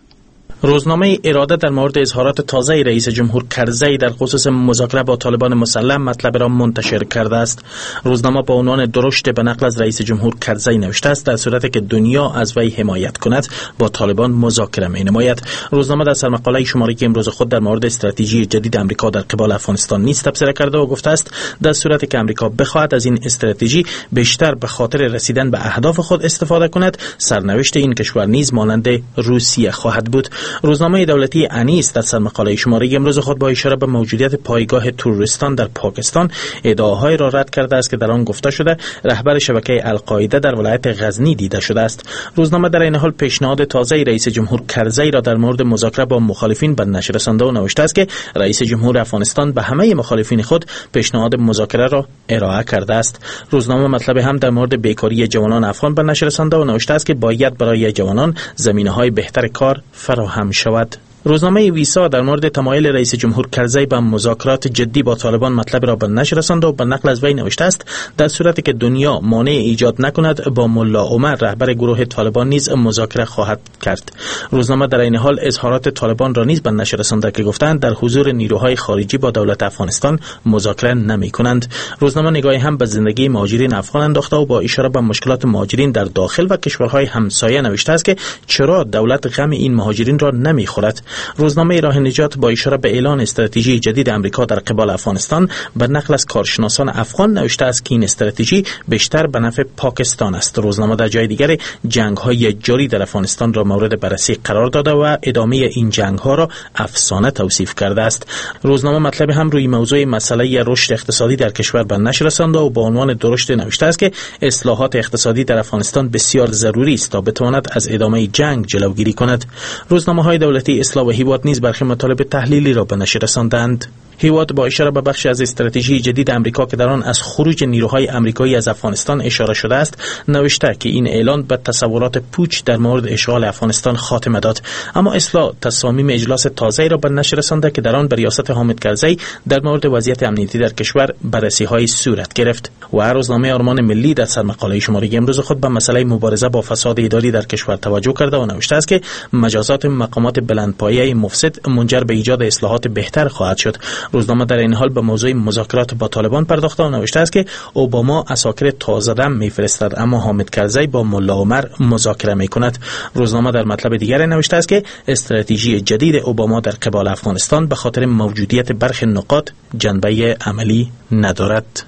روزنامه اراده در مورد اظهارات تازه رئیس جمهور کرزی در خصوص مذاکره با طالبان مسلح مطلب را منتشر کرده است. روزنامه با عنوان درشت به نقل از رئیس جمهور کرزی نوشته است در صورتی که دنیا از وی حمایت کند با طالبان مذاکره می نماید. روزنامه در سرمقاله شماره امروز خود در مورد استراتژی جدید امریکا در قبال افغانستان نیز تبصره کرده و گفته است در صورتی که امریکا بخواهد از این استراتژی بیشتر به خاطر رسیدن به اهداف خود استفاده کند، سرنوشت این کشور نیز مانند روسیه خواهد بود. روزنامه دولتی انیس در سرمقاله شماره امروز خود با اشاره به موجودیت پایگاه تروریستان در پاکستان ادعاهای را رد کرده است که در آن گفته شده رهبر شبکه القاعده در ولایت غزنی دیده شده است. روزنامه در این حال پیشنهاد تازه رئیس جمهور کرزی را در مورد مذاکره با مخالفین به نشر رسانده و نوشته است که رئیس جمهور افغانستان به همه مخالفین خود پیشنهاد مذاکره را ارائه کرده است. روزنامه مطلب هم در مورد بیکاری جوانان افغان به نشر رسانده و نوشته است که باید برای جوانان زمینه‌های بهتر کار فراهم شود. روزنامه ویسا در مورد تمایل رئیس جمهور کرزی به مذاکرات جدی با طالبان مطلب را به نشر رساند و به نقل از وی نوشته است در صورتی که دنیا مانع ایجاد نکند با ملا عمر رهبر گروه طالبان نیز مذاکره خواهد کرد. روزنامه در این حال اظهارات طالبان را نیز به نشر رسانده که گفتند در حضور نیروهای خارجی با دولت افغانستان مذاکره نمی کنند. روزنامه نگاهی هم به زندگی مهاجرین افغان انداخته و با اشاره به مشکلات مهاجرین در داخل و کشورهای همسایه نوشته است که چرا دولت غم این مهاجرین را نمی خورد. روزنامه راه نجات با اشاره به اعلان استراتژی جدید امریکا در قبال افغانستان به نقل از کارشناسان افغان نوشته است که این استراتژی بیشتر به نفع پاکستان است. روزنامه در جای دیگر جنگ‌های جاری در افغانستان را مورد بررسی قرار داده و ادامه این جنگ‌ها را افسانه توصیف کرده است. روزنامه مطلب هم روی موضوع مسئله رشد اقتصادی در کشور به نشر رسانده و با عنوان درشت نوشته است که اصلاحات اقتصادی در افغانستان بسیار ضروری است تا بتواند از ادامه جنگ جلوگیری کند. روزنامه‌های دولتی اصلاح و هیواد نیز برخی مطالب تحلیلی را به نشر رساندند. هیواد با اشاره به بخشی از استراتژی جدید امریکا که در آن از خروج نیروهای امریکایی از افغانستان اشاره شده است نوشته که این اعلان به تصورات پوچ در مورد اشغال افغانستان خاتمه داد. اما اصلاح تصامیم اجلاس تازه را به نشر رسانده که در آن به ریاست حامد کرزی در مورد وضعیت امنیتی در کشور بررسی‌های صورت گرفت. و روزنامه آرمان ملی در سرمقاله شماره امروز خود به مسئله مبارزه با فساد اداری در کشور توجه کرده و نوشته است که مجازات مقامات بلندپایه مفسد منجر به ایجاد اصلاحات بهتر خواهد شد. روزنامه در این حال به موضوع مذاکرات با طالبان پرداخته و نوشته است که اوباما عساکر تازه دم میفرستد اما حامد کرزی با ملا عمر مذاکره میکند. روزنامه در مطلب دیگر نوشته است که استراتژی جدید اوباما در قبال افغانستان به خاطر موجودیت برخی نقاط جنبه عملی ندارد.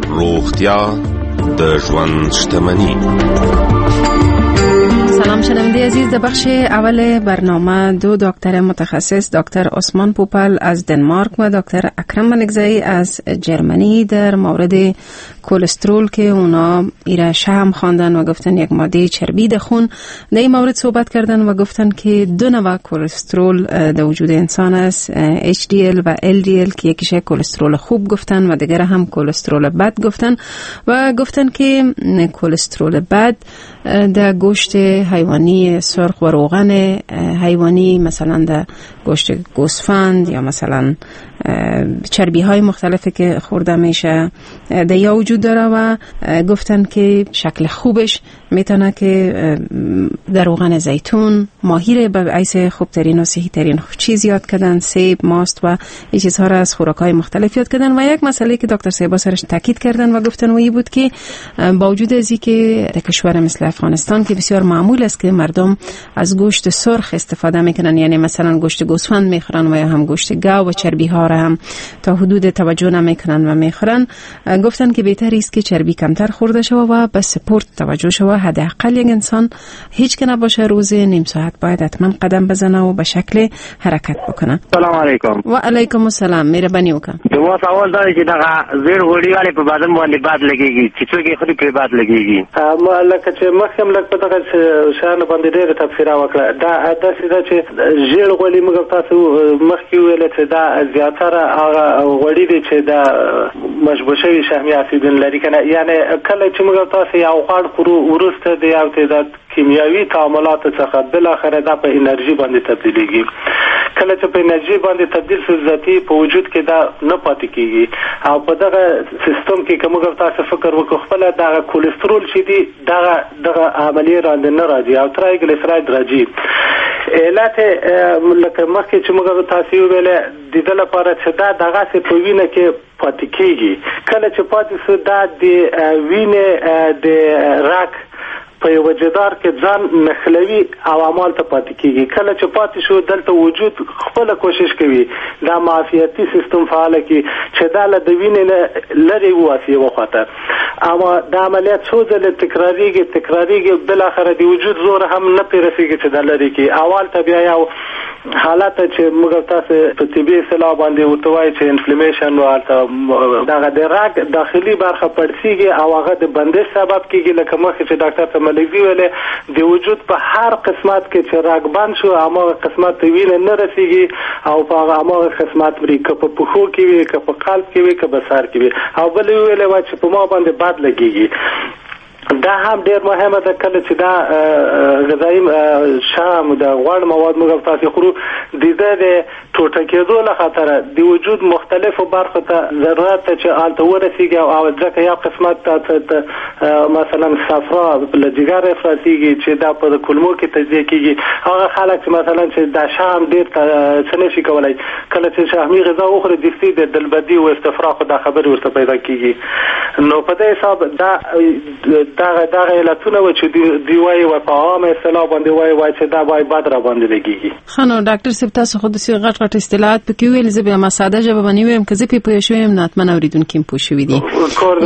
روغتیا د ژوند شتمنی. سلام شنونده عزیز، در بخش اول برنامه دو دکتر متخصص، دکتر عثمان پوپل از دنمارک و دکتر اکرم ملکزی از جرمنی، در مورد کلسترول که اونا ایره شهم خواندن و گفتن یک ماده چربی در خون، در این مورد صحبت کردن و گفتن که دو نوع کلسترول در وجود انسان است، اچ دی ال و ال دی ال، که یکیش کلسترول خوب گفتن و دیگر هم کلسترول بد گفتن و گفتن که کلسترول بد در گوشت حیوانی سرخ و روغن حیوانی، مثلا در گوشت گوسفند یا مثلا چربی های مختلفی که خورده میشه در یا وجود داره و گفتن که شکل خوبش میتونه که در روغن زیتون، ماهی رو به عیس خوبترین و صحی ترین چیز یاد کردن، سیب، ماست و این چیزها را از خوراک های مختلف یاد کردن. و یک مسئله که دکتر صاحب سرش تاکید کردن و گفتن و این بود که با وجود از اینکه در کشور مثل افغانستان که بسیار معمول است که مردم از گوشت سرخ استفاده میکنن، یعنی مثلا گوشت گوسفند میخورن و یا هم گوشت گاو و چربی ها را هم تا حدود توجه نمیکنن و میخورن، گفتن که بهتر است که چربی کمتر خورده شود و به سپورت توجه شود. حداقل یک انسان هیچ که نباشه روز نیم ساعت باید حتما قدم بزنه و به شکل حرکت بکنه. سلام علیکم. و علیکم السلام. مهرباني وکړه. زما سوال دا دی چې دغه زیړ غوړي ولې په بدن باندې بد لګیږي، چې څوک یې خوري پرې بد لګیږي؟ ما لکه چې مخکې هم لږ په دغه شیانو باندې ډېره تبصره وکړه، دا داسې ده چې ژیړ غوړي موږ تاسو مخکې وویل چې دا زیاتره هغه غوړي دي چې دا مشبوع شوي شحمي اسیدونه لري که نه، یعنې کله چې موږ تاسو یو غوړ خورو وروسته د یو تعداد کیمیاوي تعاملاتو څخه بالاخره دا په انرژي باندې تبدیلیږي. کله چې په انرژي باندې تبدیل شو ذاتي په وجود کې دا نه پاتې کیږي او په دغه سیستم کې که موږ تاسو فکر وکړو خپله دغه کولیسترول چې دي دغه دغه عملیې راندې نه راځي او ترایګلیسراید راځي. علت لکه مخکې چې موږ تاسو وویل د دې لپاره چې دا دغسې په وینه کې پاتې کیږي، کله چې پاتې شو دا د وینې د رګ په یو جدار کې ځان نښلوي او اعمال ته پاتې کیږي. کله چې پاتې شو دلته وجود خپله کوشش کوي دا معافیتي سیستم فعال کړي چې دا له د وینې نه لرې وواسي یوه خواته، اما دا عملیات څو ځلې تکراریږي تکراریږي بالاخره د وجود زور هم نه پرې رسېږي چې دا لرې کړي. اول ته بیا یو حالت چې موږ تاسو په طبي اصطلاح باندې ورته وایي چې inflammation و هلته دغه د رګ داخلي برخه پړسیږي او هغه د بندش سبب کیږي. لکه مخکې چې ډاکټر ته ملکزي ویلې د وجود په هر قسمت کې چې رګ بند شو هماغه قسمت ته وینه نه رسیږي او په هغه هماغه قسمت مري، که په پښو کې وي، که په قلب کې وي، که په سر کې وي. او بل یې ویلې وه چې په ما باندې بد لګیږي، دا هم ډیر مهمه ده. کله چې دا غذایي شام د غوړ مواد موږ تاسو خورو د دې د ټوټه کېدو له خاطره د وجود مختلفو برخو ته ضرورت ده چې هلته ورسیږي او ځکه یو قسمت ته مثلا صفرا له جګر افرازیږي چې دا په کولمو کې تجزیه کیږي. هغه خلک چې مثلا چې دا شام ډیر څه نشي کولی کله چې شحمي غذا وخوري دستي د دلبدي او استفراغ دا خبرې ورته پیدا کیږي. نو په دې حساب دا دغه دغه علتونه و چې دی وایي و په عامه اصطلاح باندې وایي وایي چې دا وایي بد را باندې لګیږي. ښه نو ډاکټر صاحب تاسو خو داسې غټ غټ اصطلاحات پکې وویل، زه بیا ما ساده ژبه باندې ووایم که زه پرې پوه شوی یم نو حتما اورېدونکي هم پوه شوي دي.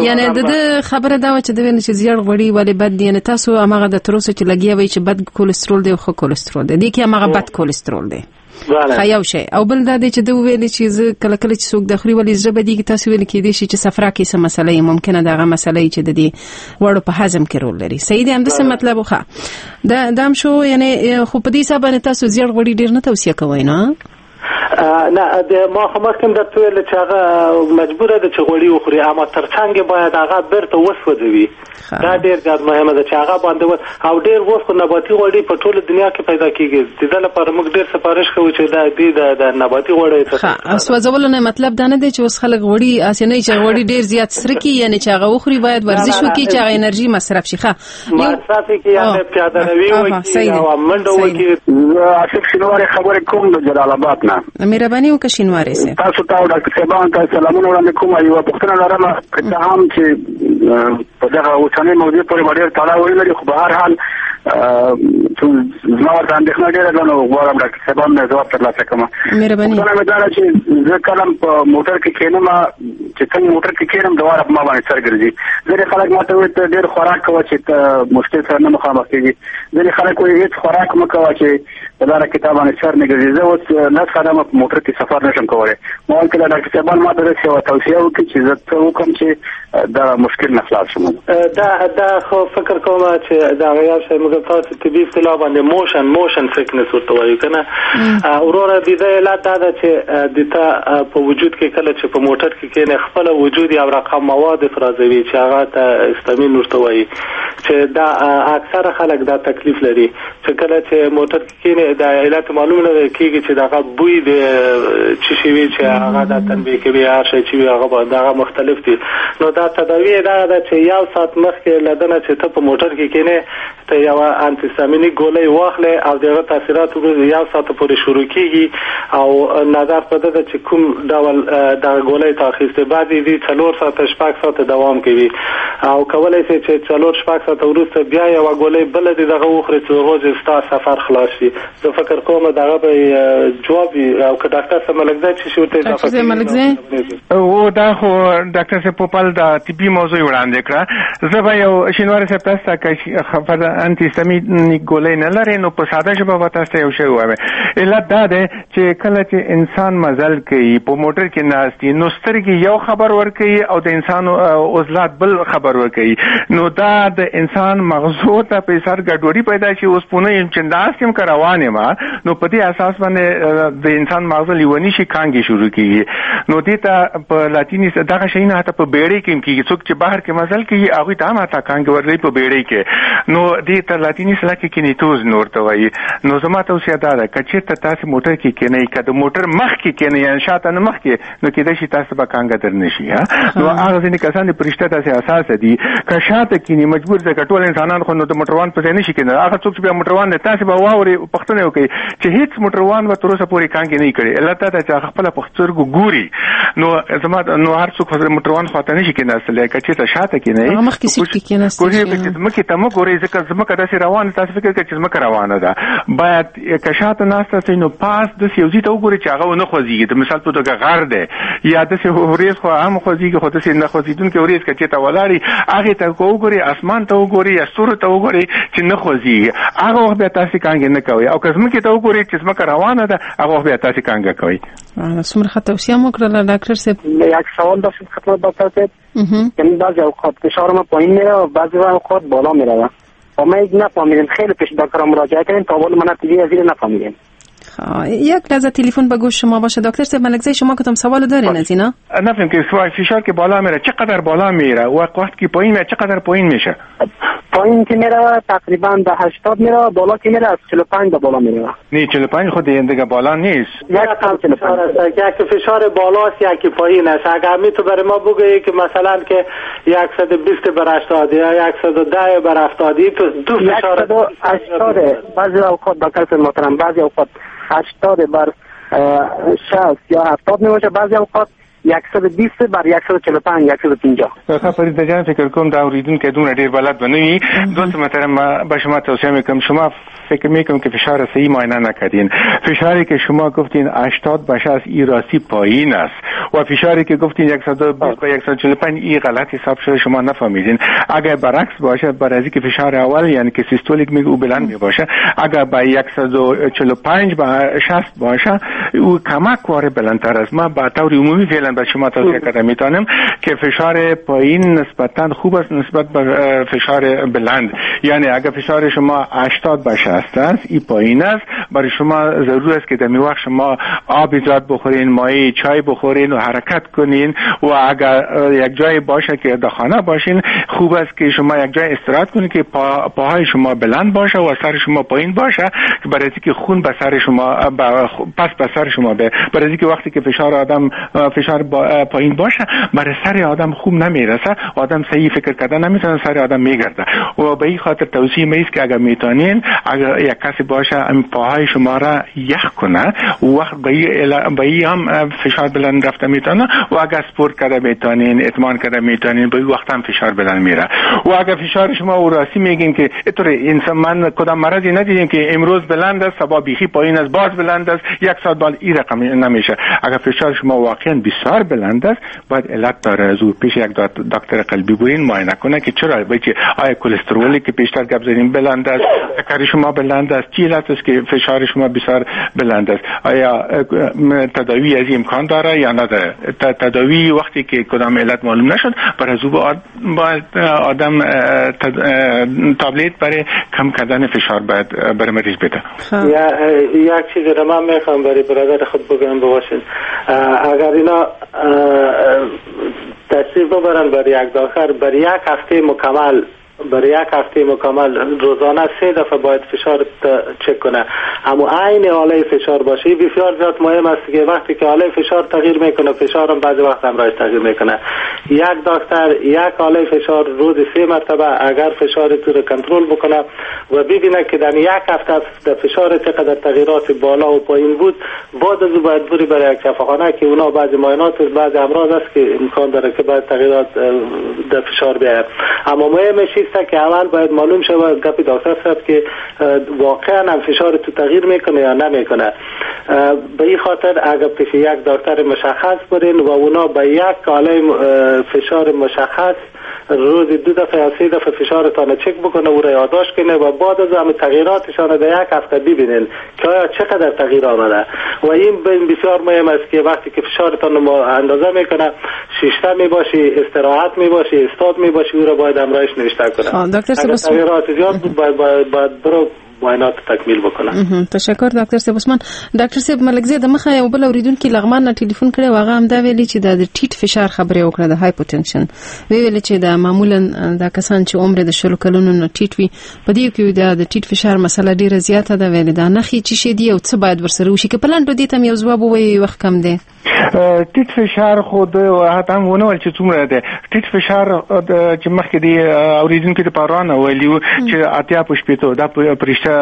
یعنې د ده خبره دا وه چې ده ویل چې زیړ غوړي ولې بد دي، یعنې تاسو هماغه د تر اوسه چې لګیا وئ چې بد کولیسترول دی او ښه کولیسترول دی، دې کې هماغه بد کولیسترول دی. ښه یو شی. او بل دا دی چې ده وویل چې زه کله کله چې څوک د خوري ولې زړه بدیږي، تاسو ویل کېدای شي چې صفرا کې څه مسله یې ممکنه ده هغه مسله یې چې د دې غوړو په هضم کې رول لري. صحیح دی، همداسې مطلب و. ښه دا دا هم شو. یعنې خو په دې حساب باندې تاسو زیړ غوړي ډېر نه توصیه کوئ نه؟ نه د ما خو مخکې هم درته وویل چې هغه مجبوره ده چې غوړي وخوري، اما ترڅنګ یې باید هغه بیرته وسوځوي. دا ډېر زیات مهمه ده چې هغه باندې و او ډېر اوس خو نباتي غوړي په ټوله دنیا کې پیدا کیږي. د دې لپاره موږ ډېر سفارش کوو چې دا دې د نباتي غوړي ښه سوځولو نه مطلب دا نه دی چې اوس خلک غوړي هسې نه چې غوړي ډېر زیات سره کړي، یعنې چې هغه وخوري باید ورزش وکړي چې هغه انرژي مصرف شي. ښه مصرف کړي یعنې پیاده روي وکړي او منډه وکړي. زه آصف شینواری خبرې کوم د جلال آباد نه. مهرباني وکړه شینواری صاحب. تاسو ته او ډاکټر صاحبانو ته سلامونه وړاندې کوم. یوه پوښتنه لرم، که څه هم چې په دغه اوسنۍ موضوع پورې به ډېر تړاو ولري، خو به هر حال زما ورته اندېښنه ډېره ده، نو غواړم ډاکټر صاحبان نه ځواب ترلاسه کړم. مهرباني. پوښتنه مې دا ده چې زه کله په موټر کې کښېنم، چې څنګه موټر کې کښېنم دواره په ما باندې سر ګرځي. ځینې خلک ما ته وایي ته ډېر خوراک کوه چې ته مشکل سره نه مخامخ کېږي، ځینې خلک وایي هېڅ خوراک مه کوه چې په لاره کې تا باندې سر نه ګرځي. زه اوس لس قدمه په موټر کې سفر نشم کولی. ما ویل که دا ډاکټر صاحبان ما ته داسې یوه توصیه وکړي چې زه څه وکړم چې دا مشکل نه خلاص شم. دا دا خو فکر کوم چې دا یو شی موږ تاسو طبي اصطلاح باندې motion motion sickness ورته وایو که نه وروره. د دې علت دا ده چې د تا په وجود کې کله چې په موټر کې کښېنې خپله وجود یو رقم مواد افرازوي چې هغه ته هستامین ورته وایي، چې دا اکثره خلک دا تکلیف لري چې کله چې موټر کې کینې دا علت معلوم نه کیږي چې دغه بوی د چې شي وي چې هغه د تنبیه کوي هر شي چې هغه دغه مختلف دي. نو دا تداوی دا ده چې یو ساعت مخکې له دنه چې ته په موټر کې کینې ته یو انتیستامیني ګولۍ واخلې او دغه تاثیرات یو ساعت پورې شروع کیږي او نظر په ده چې کوم ډول دغه ګولۍ ته اخیستې بعد دې څلور ساعته شپږ ساعته دوام کوي او کولای شي چې څلور شپږ ساعته وروسته بیا یوه ګولۍ بله دې دغه وخورې چې هغه ستا سفر خلاص شي. زه فکر کوم دغه به جواب وي او که ډاکټر صاحب ملکزی چې شي ورته اضافه کړي. او دا خو ډاکټر صاحب پوپل د طبي موضوع وړاندې کړه. زه به یو شینواری صاحب تاسو ته که فرضاً انتیستامینیک ګولۍ نه لرې نو په ساده ژبه به تاسو ته یو شی ووایم. علت دا دی چې کله چې انسان مزل کوي په موټر کې ناست وي نو سترګې یو خبر ورکوي او د انسان عضلات بل خبر ورکوي، نو دا د انسان مغزو ته په سر ګډوډي پیدا شي. اوس پونه یم چې ناست یم که روان یم نو په دې اساس باندې د انسان مغزه لیوني شي، کانګې شروع کیږي. نو دې ته په لاتیني دغه شیونه حتی په بیړۍ کې هم کیږي، څوک چې بهر کې مزل کوي هغوی ته هم حتی کانګې ورځي په بیړۍ کې. نو دې ته لاتیني اصطلاح کې کینیتوز نور ته وایي. نو زما توصیه دا ده که چېرته تاسې موټر کې کښېنئ، که د موټر مخکې کښېنئ یعنې شاته نه مخکې، نو کېدای شي تاسو به کانګه در نه شي. نو هغه ځینې کسان د پرشته داسې اساسه دي که شاته کښېني مجبور دی، که ټول انسانان خو نو د موټروان په ځای نه شي کښېنلی. هغه څوک چې بیا موټروان دی تاسې به واورئ پوښتنه وکړئ چې هېڅ موټروان به تر اوسه پورې کانګې نه کړي. علت دا ده چې هغه خپله په سترګو ګوري. نو زما نو هر څوک خو موټروان خواته نه شي کښېناستلی، که چېرته شاته کښېنئ مخکې سیټ کې کښېناستلی کوشش وکړئ چې ځمکې ته مه ګورئ، ځکه ځمکه داسې روانه تاسې فکر کوئ چې ځمکه روانه ده. باید که شاته ناسته سئ نو پاس داسې یو ځای ته وګورئ چې هغه ونه خوځېږي. د مثال په توګه غر دی یا داسې ورېځ خو هم خوځېږي خو داسې نه خوځېدونکې ورېځ که چېرته ولاړې هغې ته وګورئ، اسمان ته وګورئ یا ستورو ته وګورئ چې نه خوځېږي، هغه وخت بیا تاسې کانګې نه کوئ. او که ځمکې ته وګورئ چې ځمکه روانه ده هغه وخت بیا تاسې کانګه کوئ. څومره ښه توصیه مو کړله ډاکټر صاحب. یک سوال داشتم خدمت دکتر صاحب. یعنی بعضی اوقات فشار ما پایین میره و بعضی اوقات بالا میره و ما نفهمیدیم. خیلی پیش دکتر مراجعه کردیم تا حالا ما نتیجه از این نفهمیدیم. یک لحظه تلفن به گوش شما باشه دکتر صاحب ملکزی، شما کدام سوال دارین از اینا؟ نفهم که فشار که بالا میره چقدر بالا میره و وقتی که پایین میره چقدر پایین میشه؟ پایین که میره تقریبا به هشتاد میره، بالا که میره از چهل و پنج به بالا میره. نه چهل و پنج خود دیگه بالا نیست. یک فشار است، یک فشار بالاست یکی پایین است. اگر می تو برای ما بگویی که مثلا که صد و بیست بر هشتاد یا صد و ده بر هفتاد تو دو فشار هشتاد بعضی اوقات دکتر محترم بعضی اوقات هشتاد بر شصت یا هفتاد میباشه، بعضی اوقات صد و بیست بر صد و چهل و پنج صد و پنجاه. ښه فرید جان فکر کوم دا اوریدونکی دومره ډیر بلد به نه وي. دوست محترم به شما توصیه میکنم، شما فکر میکنم که فشار صحیح معاینه نکردین. فشاری که شما گفتین هشتاد به شصت ای راستی پایین است و فشاری که گفتین صد و بیست به صد و چهل و پنج ای غلط حساب شده، شما نفهمیدین. اگر برعکس باشه، برای اینکه فشار اول یعنی که سیستولیک میگه او بلند میباشه، اگر به صد و چهل و پنج به شصت باشه او کمک واره بلندتر است. ما به طور عمومی فعلا به شما توصیه کرده میتونم که فشار پایین نسبتا خوب است نسبت به فشار بلند. یعنی اگر فشار شما هشتاد به شصت است ای پایین است، برای شما ضرور است که در می وقت شما آب زیاد بخورین، مایع چای بخورین و حرکت کنین. و اگر یک جای باشه که در خانه باشین خوب است که شما یک جای استراحت کنین که پا، پاهای شما بلند باشه و سر شما پایین باشه، برای اینکه خون به سر شما پس به سر شما به برای اینکه وقتی که فشار آدم فشار با پایین باشه برای سر آدم خوب نمیرسه، آدم صحیح فکر کردن نمیتونه، سر آدم میگرده. و به این خاطر توصیه میست که اگر میتونین اگر یک کسی باشه پاهای شما را یخ کنه و وقت به این هم فشار بلند رفته میتونه. و اگر سپورت کرده میتونین، اتمان کرده میتونین، به این وقت هم فشار بلند میره. و اگر فشار شما و راستی میگین که اینطور انسان من کدام مرضی ندیدیم که امروز بلند است صبح بیخی پایین است باز بلند است یک ساعت بعد این رقم نمیشه. اگر فشار شما واقعا بسیار بلند است باید علت داره از او پیش یک دکتر قلبی برین معاینه کنه که چرا بچه آیا کلسترولی که پیشتر گپ زدیم بلند است، شکر شما بلند است، چی علت است که فشار شما بسیار بلند است، آیا تداوی از امکان داره یا نداره. تداوی وقتی که کدام علت معلوم نشد بر از او باید آدم تابلت برای کم کردن فشار باید برای مریض بده. یا یک چیز را من میخوام برای برادر خود بگم بباشین، اگر اینا تشریف ببرن برای یک داخل برای یک هفته مکمل برای یک هفته مکمل روزانه سه دفعه باید فشار چک کنه، اما عین آله فشار باشه. بسیار زیاد مهم است که وقتی که آله فشار تغییر میکنه، فشارم بعضی وقت همراهش تغییر میکنه. یک دکتر یک آله فشار روز سه مرتبه اگر فشار تو رو کنترل بکنه و ببینه که در یک هفته در فشار چقدر تغییرات بالا و پایین بود، بعد از او باید بری برای یک شفاخانه که اونا بعضی معاینات و بعضی امراض است که امکان داره که بعد تغییرات در فشار بیاید. اما مهمش است که اول باید معلوم شود گپ دکتر صاحب که واقعا هم فشار تو تغییر میکنه یا نمیکنه. به این خاطر اگر پیش یک دکتر مشخص برین و اونا به یک آله فشار مشخص روز دو دفعه یا سه دفعه فشارتان چک بکنه و را یادداشت کنه و بعد از هم تغییراتشان در یک هفته ببینین که آیا چقدر تغییر آمده. و این بسیار مهم است که وقتی که فشارتان اندازه میکنه، شیشته میباشی، استراحت میباشی، استاد میباشی، او را باید همراهش نوشته کنه. دکتر تغییرات زیاد بود باید باید, باید برو معاینات تکمیل بکنه. تشکر دکتر صاحب عثمان. دکتر صاحب ملکزی د مخه یو بل اوریدونکي لغمان نه ټلیفون کړی و هغه هم دا ویلي چې د ټیټ فشار خبرې وکړه، د hypotension ویل چې دا معمولا دا کسان چې عمر د شلو کلونو نه ټیټ وي په دې کې د ټیټ فشار مسله ډیره زیاته ده. ویل دا نښې چې شي دی او څه باید ورسره وشي؟ که په لنډو دې ته یو ځواب ووایي، وخت کم دی. ټیټ فشار خو د هغه هم ونه ول چې څومره دی ټیټ فشار چې مخکې دی اوریدونکي د پارانه ویلي چې اتیا په شپېتو دا پرشته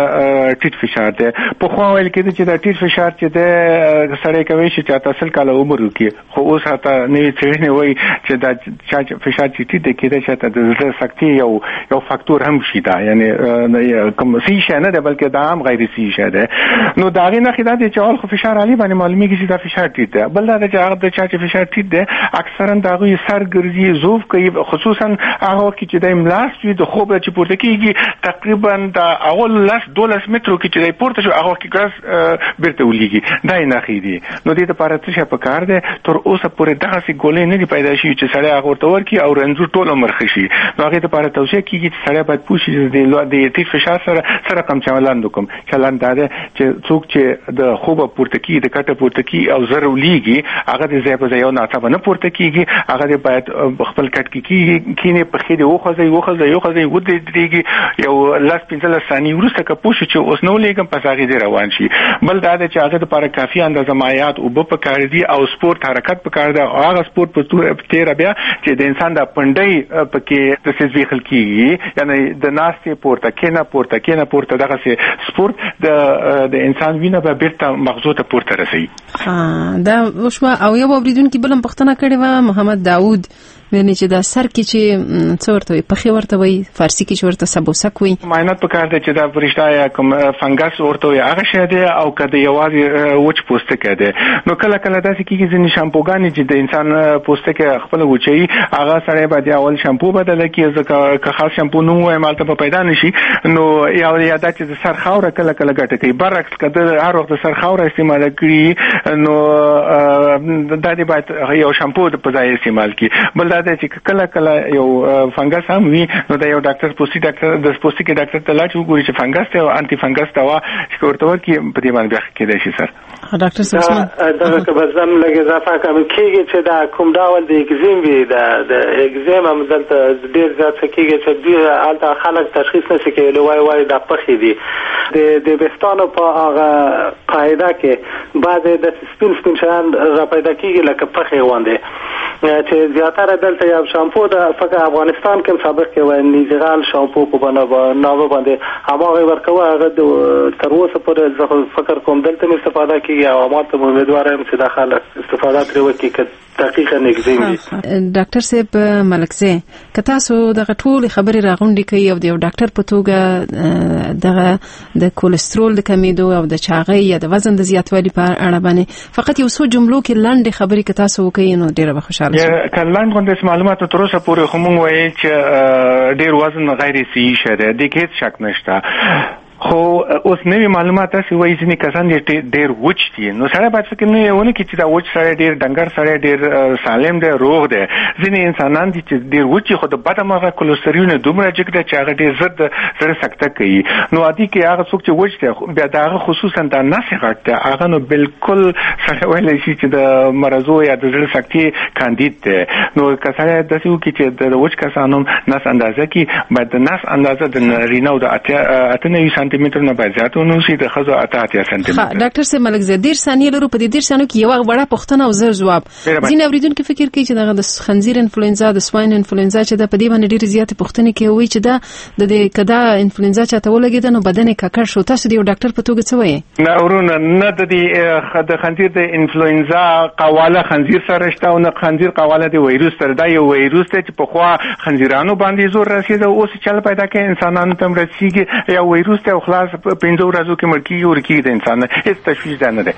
ټیټ فشار دی. په خو ویل کېده چې دا ټیټ فشار چې دی سړی کوي چې چاته سل کاله عمر وکړي، خو اوس حتی نوې څېړنې وایي چې دا فشار چې ټیټ دی کېدای شي د زړه سکتې یو یو فاکتور هم شي، دا یعنی کوم صحیح شی نه دی بلکې دا هم غیر صحیح شی دی. نو د هغې نښې دا دی چې اول خو فشار عالي باندې معلومیږي چې دا فشار ټیټ دی. بل دا چې هغه د چا چې فشار ټیټ دی اکثرا د هغوی سر ګرځي، ضعف کوي، خصوصا هغه وخت کې چې دی ملاست وي د خوب چې پورته کېږي تقریبا د اول لس دولس مترو کې چې دی پورته شو هغه وخت کې ګاز بیرته ولیږي، دا یې نښې دي. نو دې دپاره څه شی پکار دی؟ تر اوسه پورې دغسې ګولۍ نه دي پیدا شوي چې سړی هغه ورته ورکړي او رنځور ټول عمر ښه شي. نو هغې دپاره توصیه کېږي چې سړی باید پوه شي چې د ټیټ فشار سره څه رقم چلند وکړم. چلند دا دی چې څوک چې د خوبه پورته کېږي، د کټه پورته کېږي او زر ولیږي، هغه د ځای په ځای یو ناڅاپه نه پورته کېږي، هغه دې باید خپل کټ کې کېږي کښېني، پښې دې وخوځوي وخوځوي وخوځوي ودرېږي، یو لس پنځلس ثانیې وروسته که پوه شو چې اوس نه ولېږم پس هغې دې روان شي. بل دا دی چې هغه دپاره کافي اندازه مایعات اوبه پکار دي او سپورت حرکت پکار دی، او هغه سپورت په تېره بیا چې د انسان د پنډۍ پکې داسې زبېښل کېږي، یعنی د ناستې پورته کښېنه پورته کښېنه پورته دغسې سپورت د د انسان وینه به بیرته مغزو ته پورته رسوي. دا وشوه. او یو اوریدونکي بل هم پوښتنه کړې وه، محمد داود، یعنی چې دا سر کې چې څه ورته وایي، پخې ورته وایي، فارسي کې چې ورته سبوسک وایي، معاینات پکار دی چې دا پرشته یا کوم فنګس ورته وایي هغه شی دی او که د یوازې وچ پوستکی دی. نو کله کله داسې کېږي ځینې شامپوګانې چې د انسان پوستکی خپله وچوي، هغه سړی باید اول شامپو بدله کړي، ځکه که خاص شامپو نوم ووایم هلته به پیدا نه شي. نو یا یا دا چې د سر خاوره کله کله ګټه کوي، برعکس که د هر وخت د سر خاوره استعماله کړي نو دا دې باید یو شامپو په ځای استعمال کړي. بل دا دی چې کله کله یو فنګس هم وي نو د یو ډاکټر پوستي ډاکټر د پوستکي ډاکټر ته لاړ شي وګوري چې فنګس دی او انتي فنګس دوا چې ورته ورکړي په دې باندې بیا ښه کېدای شي. سر ډاکټر صاحب دغه که به زم لږ اضافه کړم کېږي چې دا کوم ډول د اکزیم وي، دا د اکزیم هم دلته ډېر زیات څه کېږي چې دوی هلته خلک تشخیص نه شي کولی، وایي وایي دا پخې دي. د د ویښتانو په هغه قاعده کې بعضې داسې سپین سپین شیان را پیدا کېږي لکه پخې غوندې، چې زیاتره دلته یو شامپو د فقط افغانستان کې سابق کې وای نیزغال شامپو په بنا نامه باندې هماغه ورکوه، هغه تر اوسه پورې زه فکر کوم دلته مې استفاده کېږي او ما ته امیدوار یم چې دا خلک استفاده ترې وکړي که دقیقه اکزیم وي. ډاکټر صاحب ملکزی، که تاسو دغه ټولې خبرې راغونډې کړئ او د یو ډاکټر په توګه دغه د کولیسټرول د کمېدو او د چاغۍ یا د وزن د زیاتوالي په اړه باندې فقط یو څو جملو کې لنډې خبرې که تاسو وکړئ نو ډېره به خوشحاله شم. که لنډ غوندې معلومات تر اوسه پورې خو موږ ویل چې ډېر وزن غیر صحي شی دی، دې کې هېڅ شک نشته. خو خو اوس نوي معلومات داسې وایي ځینې کسان ډېر وچ دي، نو سړی باید فکر نه ونه کړي چې دا وچ سړی ډېر ډنګر سړی ډېر سالم دی روغ دی. ځینې انسانان دي چې ډېر وچ دي خو د بده مرغه کولسترول دومره جګ دی چې هغه ډېر زر د زړه سکته کوي. نو عادي کې هغه څوک چې وچ دی بیا د هغه خصوصا دا نس غټ دی، هغه نو بالکل سړی ویلی شي چې د مرضو یا د زړه سکتې کاندید دی. نو که سړی داسې وکړي چې د وچ کسانو نس اندازه کړي، باید د نس اندازه د نارینه د اته نوي سانتي متر نه باید زیات ونه اوسي، د ښځو اته اتیا سانتي متر. ډاکټر صاحب ملکزی دېرش ثانیې لرو، په دې دېرش ثانیو کې یوه وړه پوښتنه او زر ځواب. ځینې اورېدونکي فکر کوي چې دغه د خنزیر انفلوئنزا د سواین انفلوئنزا چې ده په دې باندې ډېرې زیاتې پوښتنې کوي چې دا د دې که دا انفلوئنزا چاته ولګېده نو بدن یې ککړ شو. تاسو د یو ډاکټر په توګه څه وایئ؟ نه ورونه، نه د دې د خنزیر د انفلوئنزا قواله خنزیر سره شته او نه خنزیر قواله د ویروس سره. دا یو ویروس دی چې پخوا خنزیرانو باندې زور رسېده، اوس چل پیدا کوي انسانانو ته هم رسېږي. یو ویروس دی او خلاص پنځو ورځو کې مړ کېږي ورکېږي د انسان، هېڅ تشویش دا نه دی.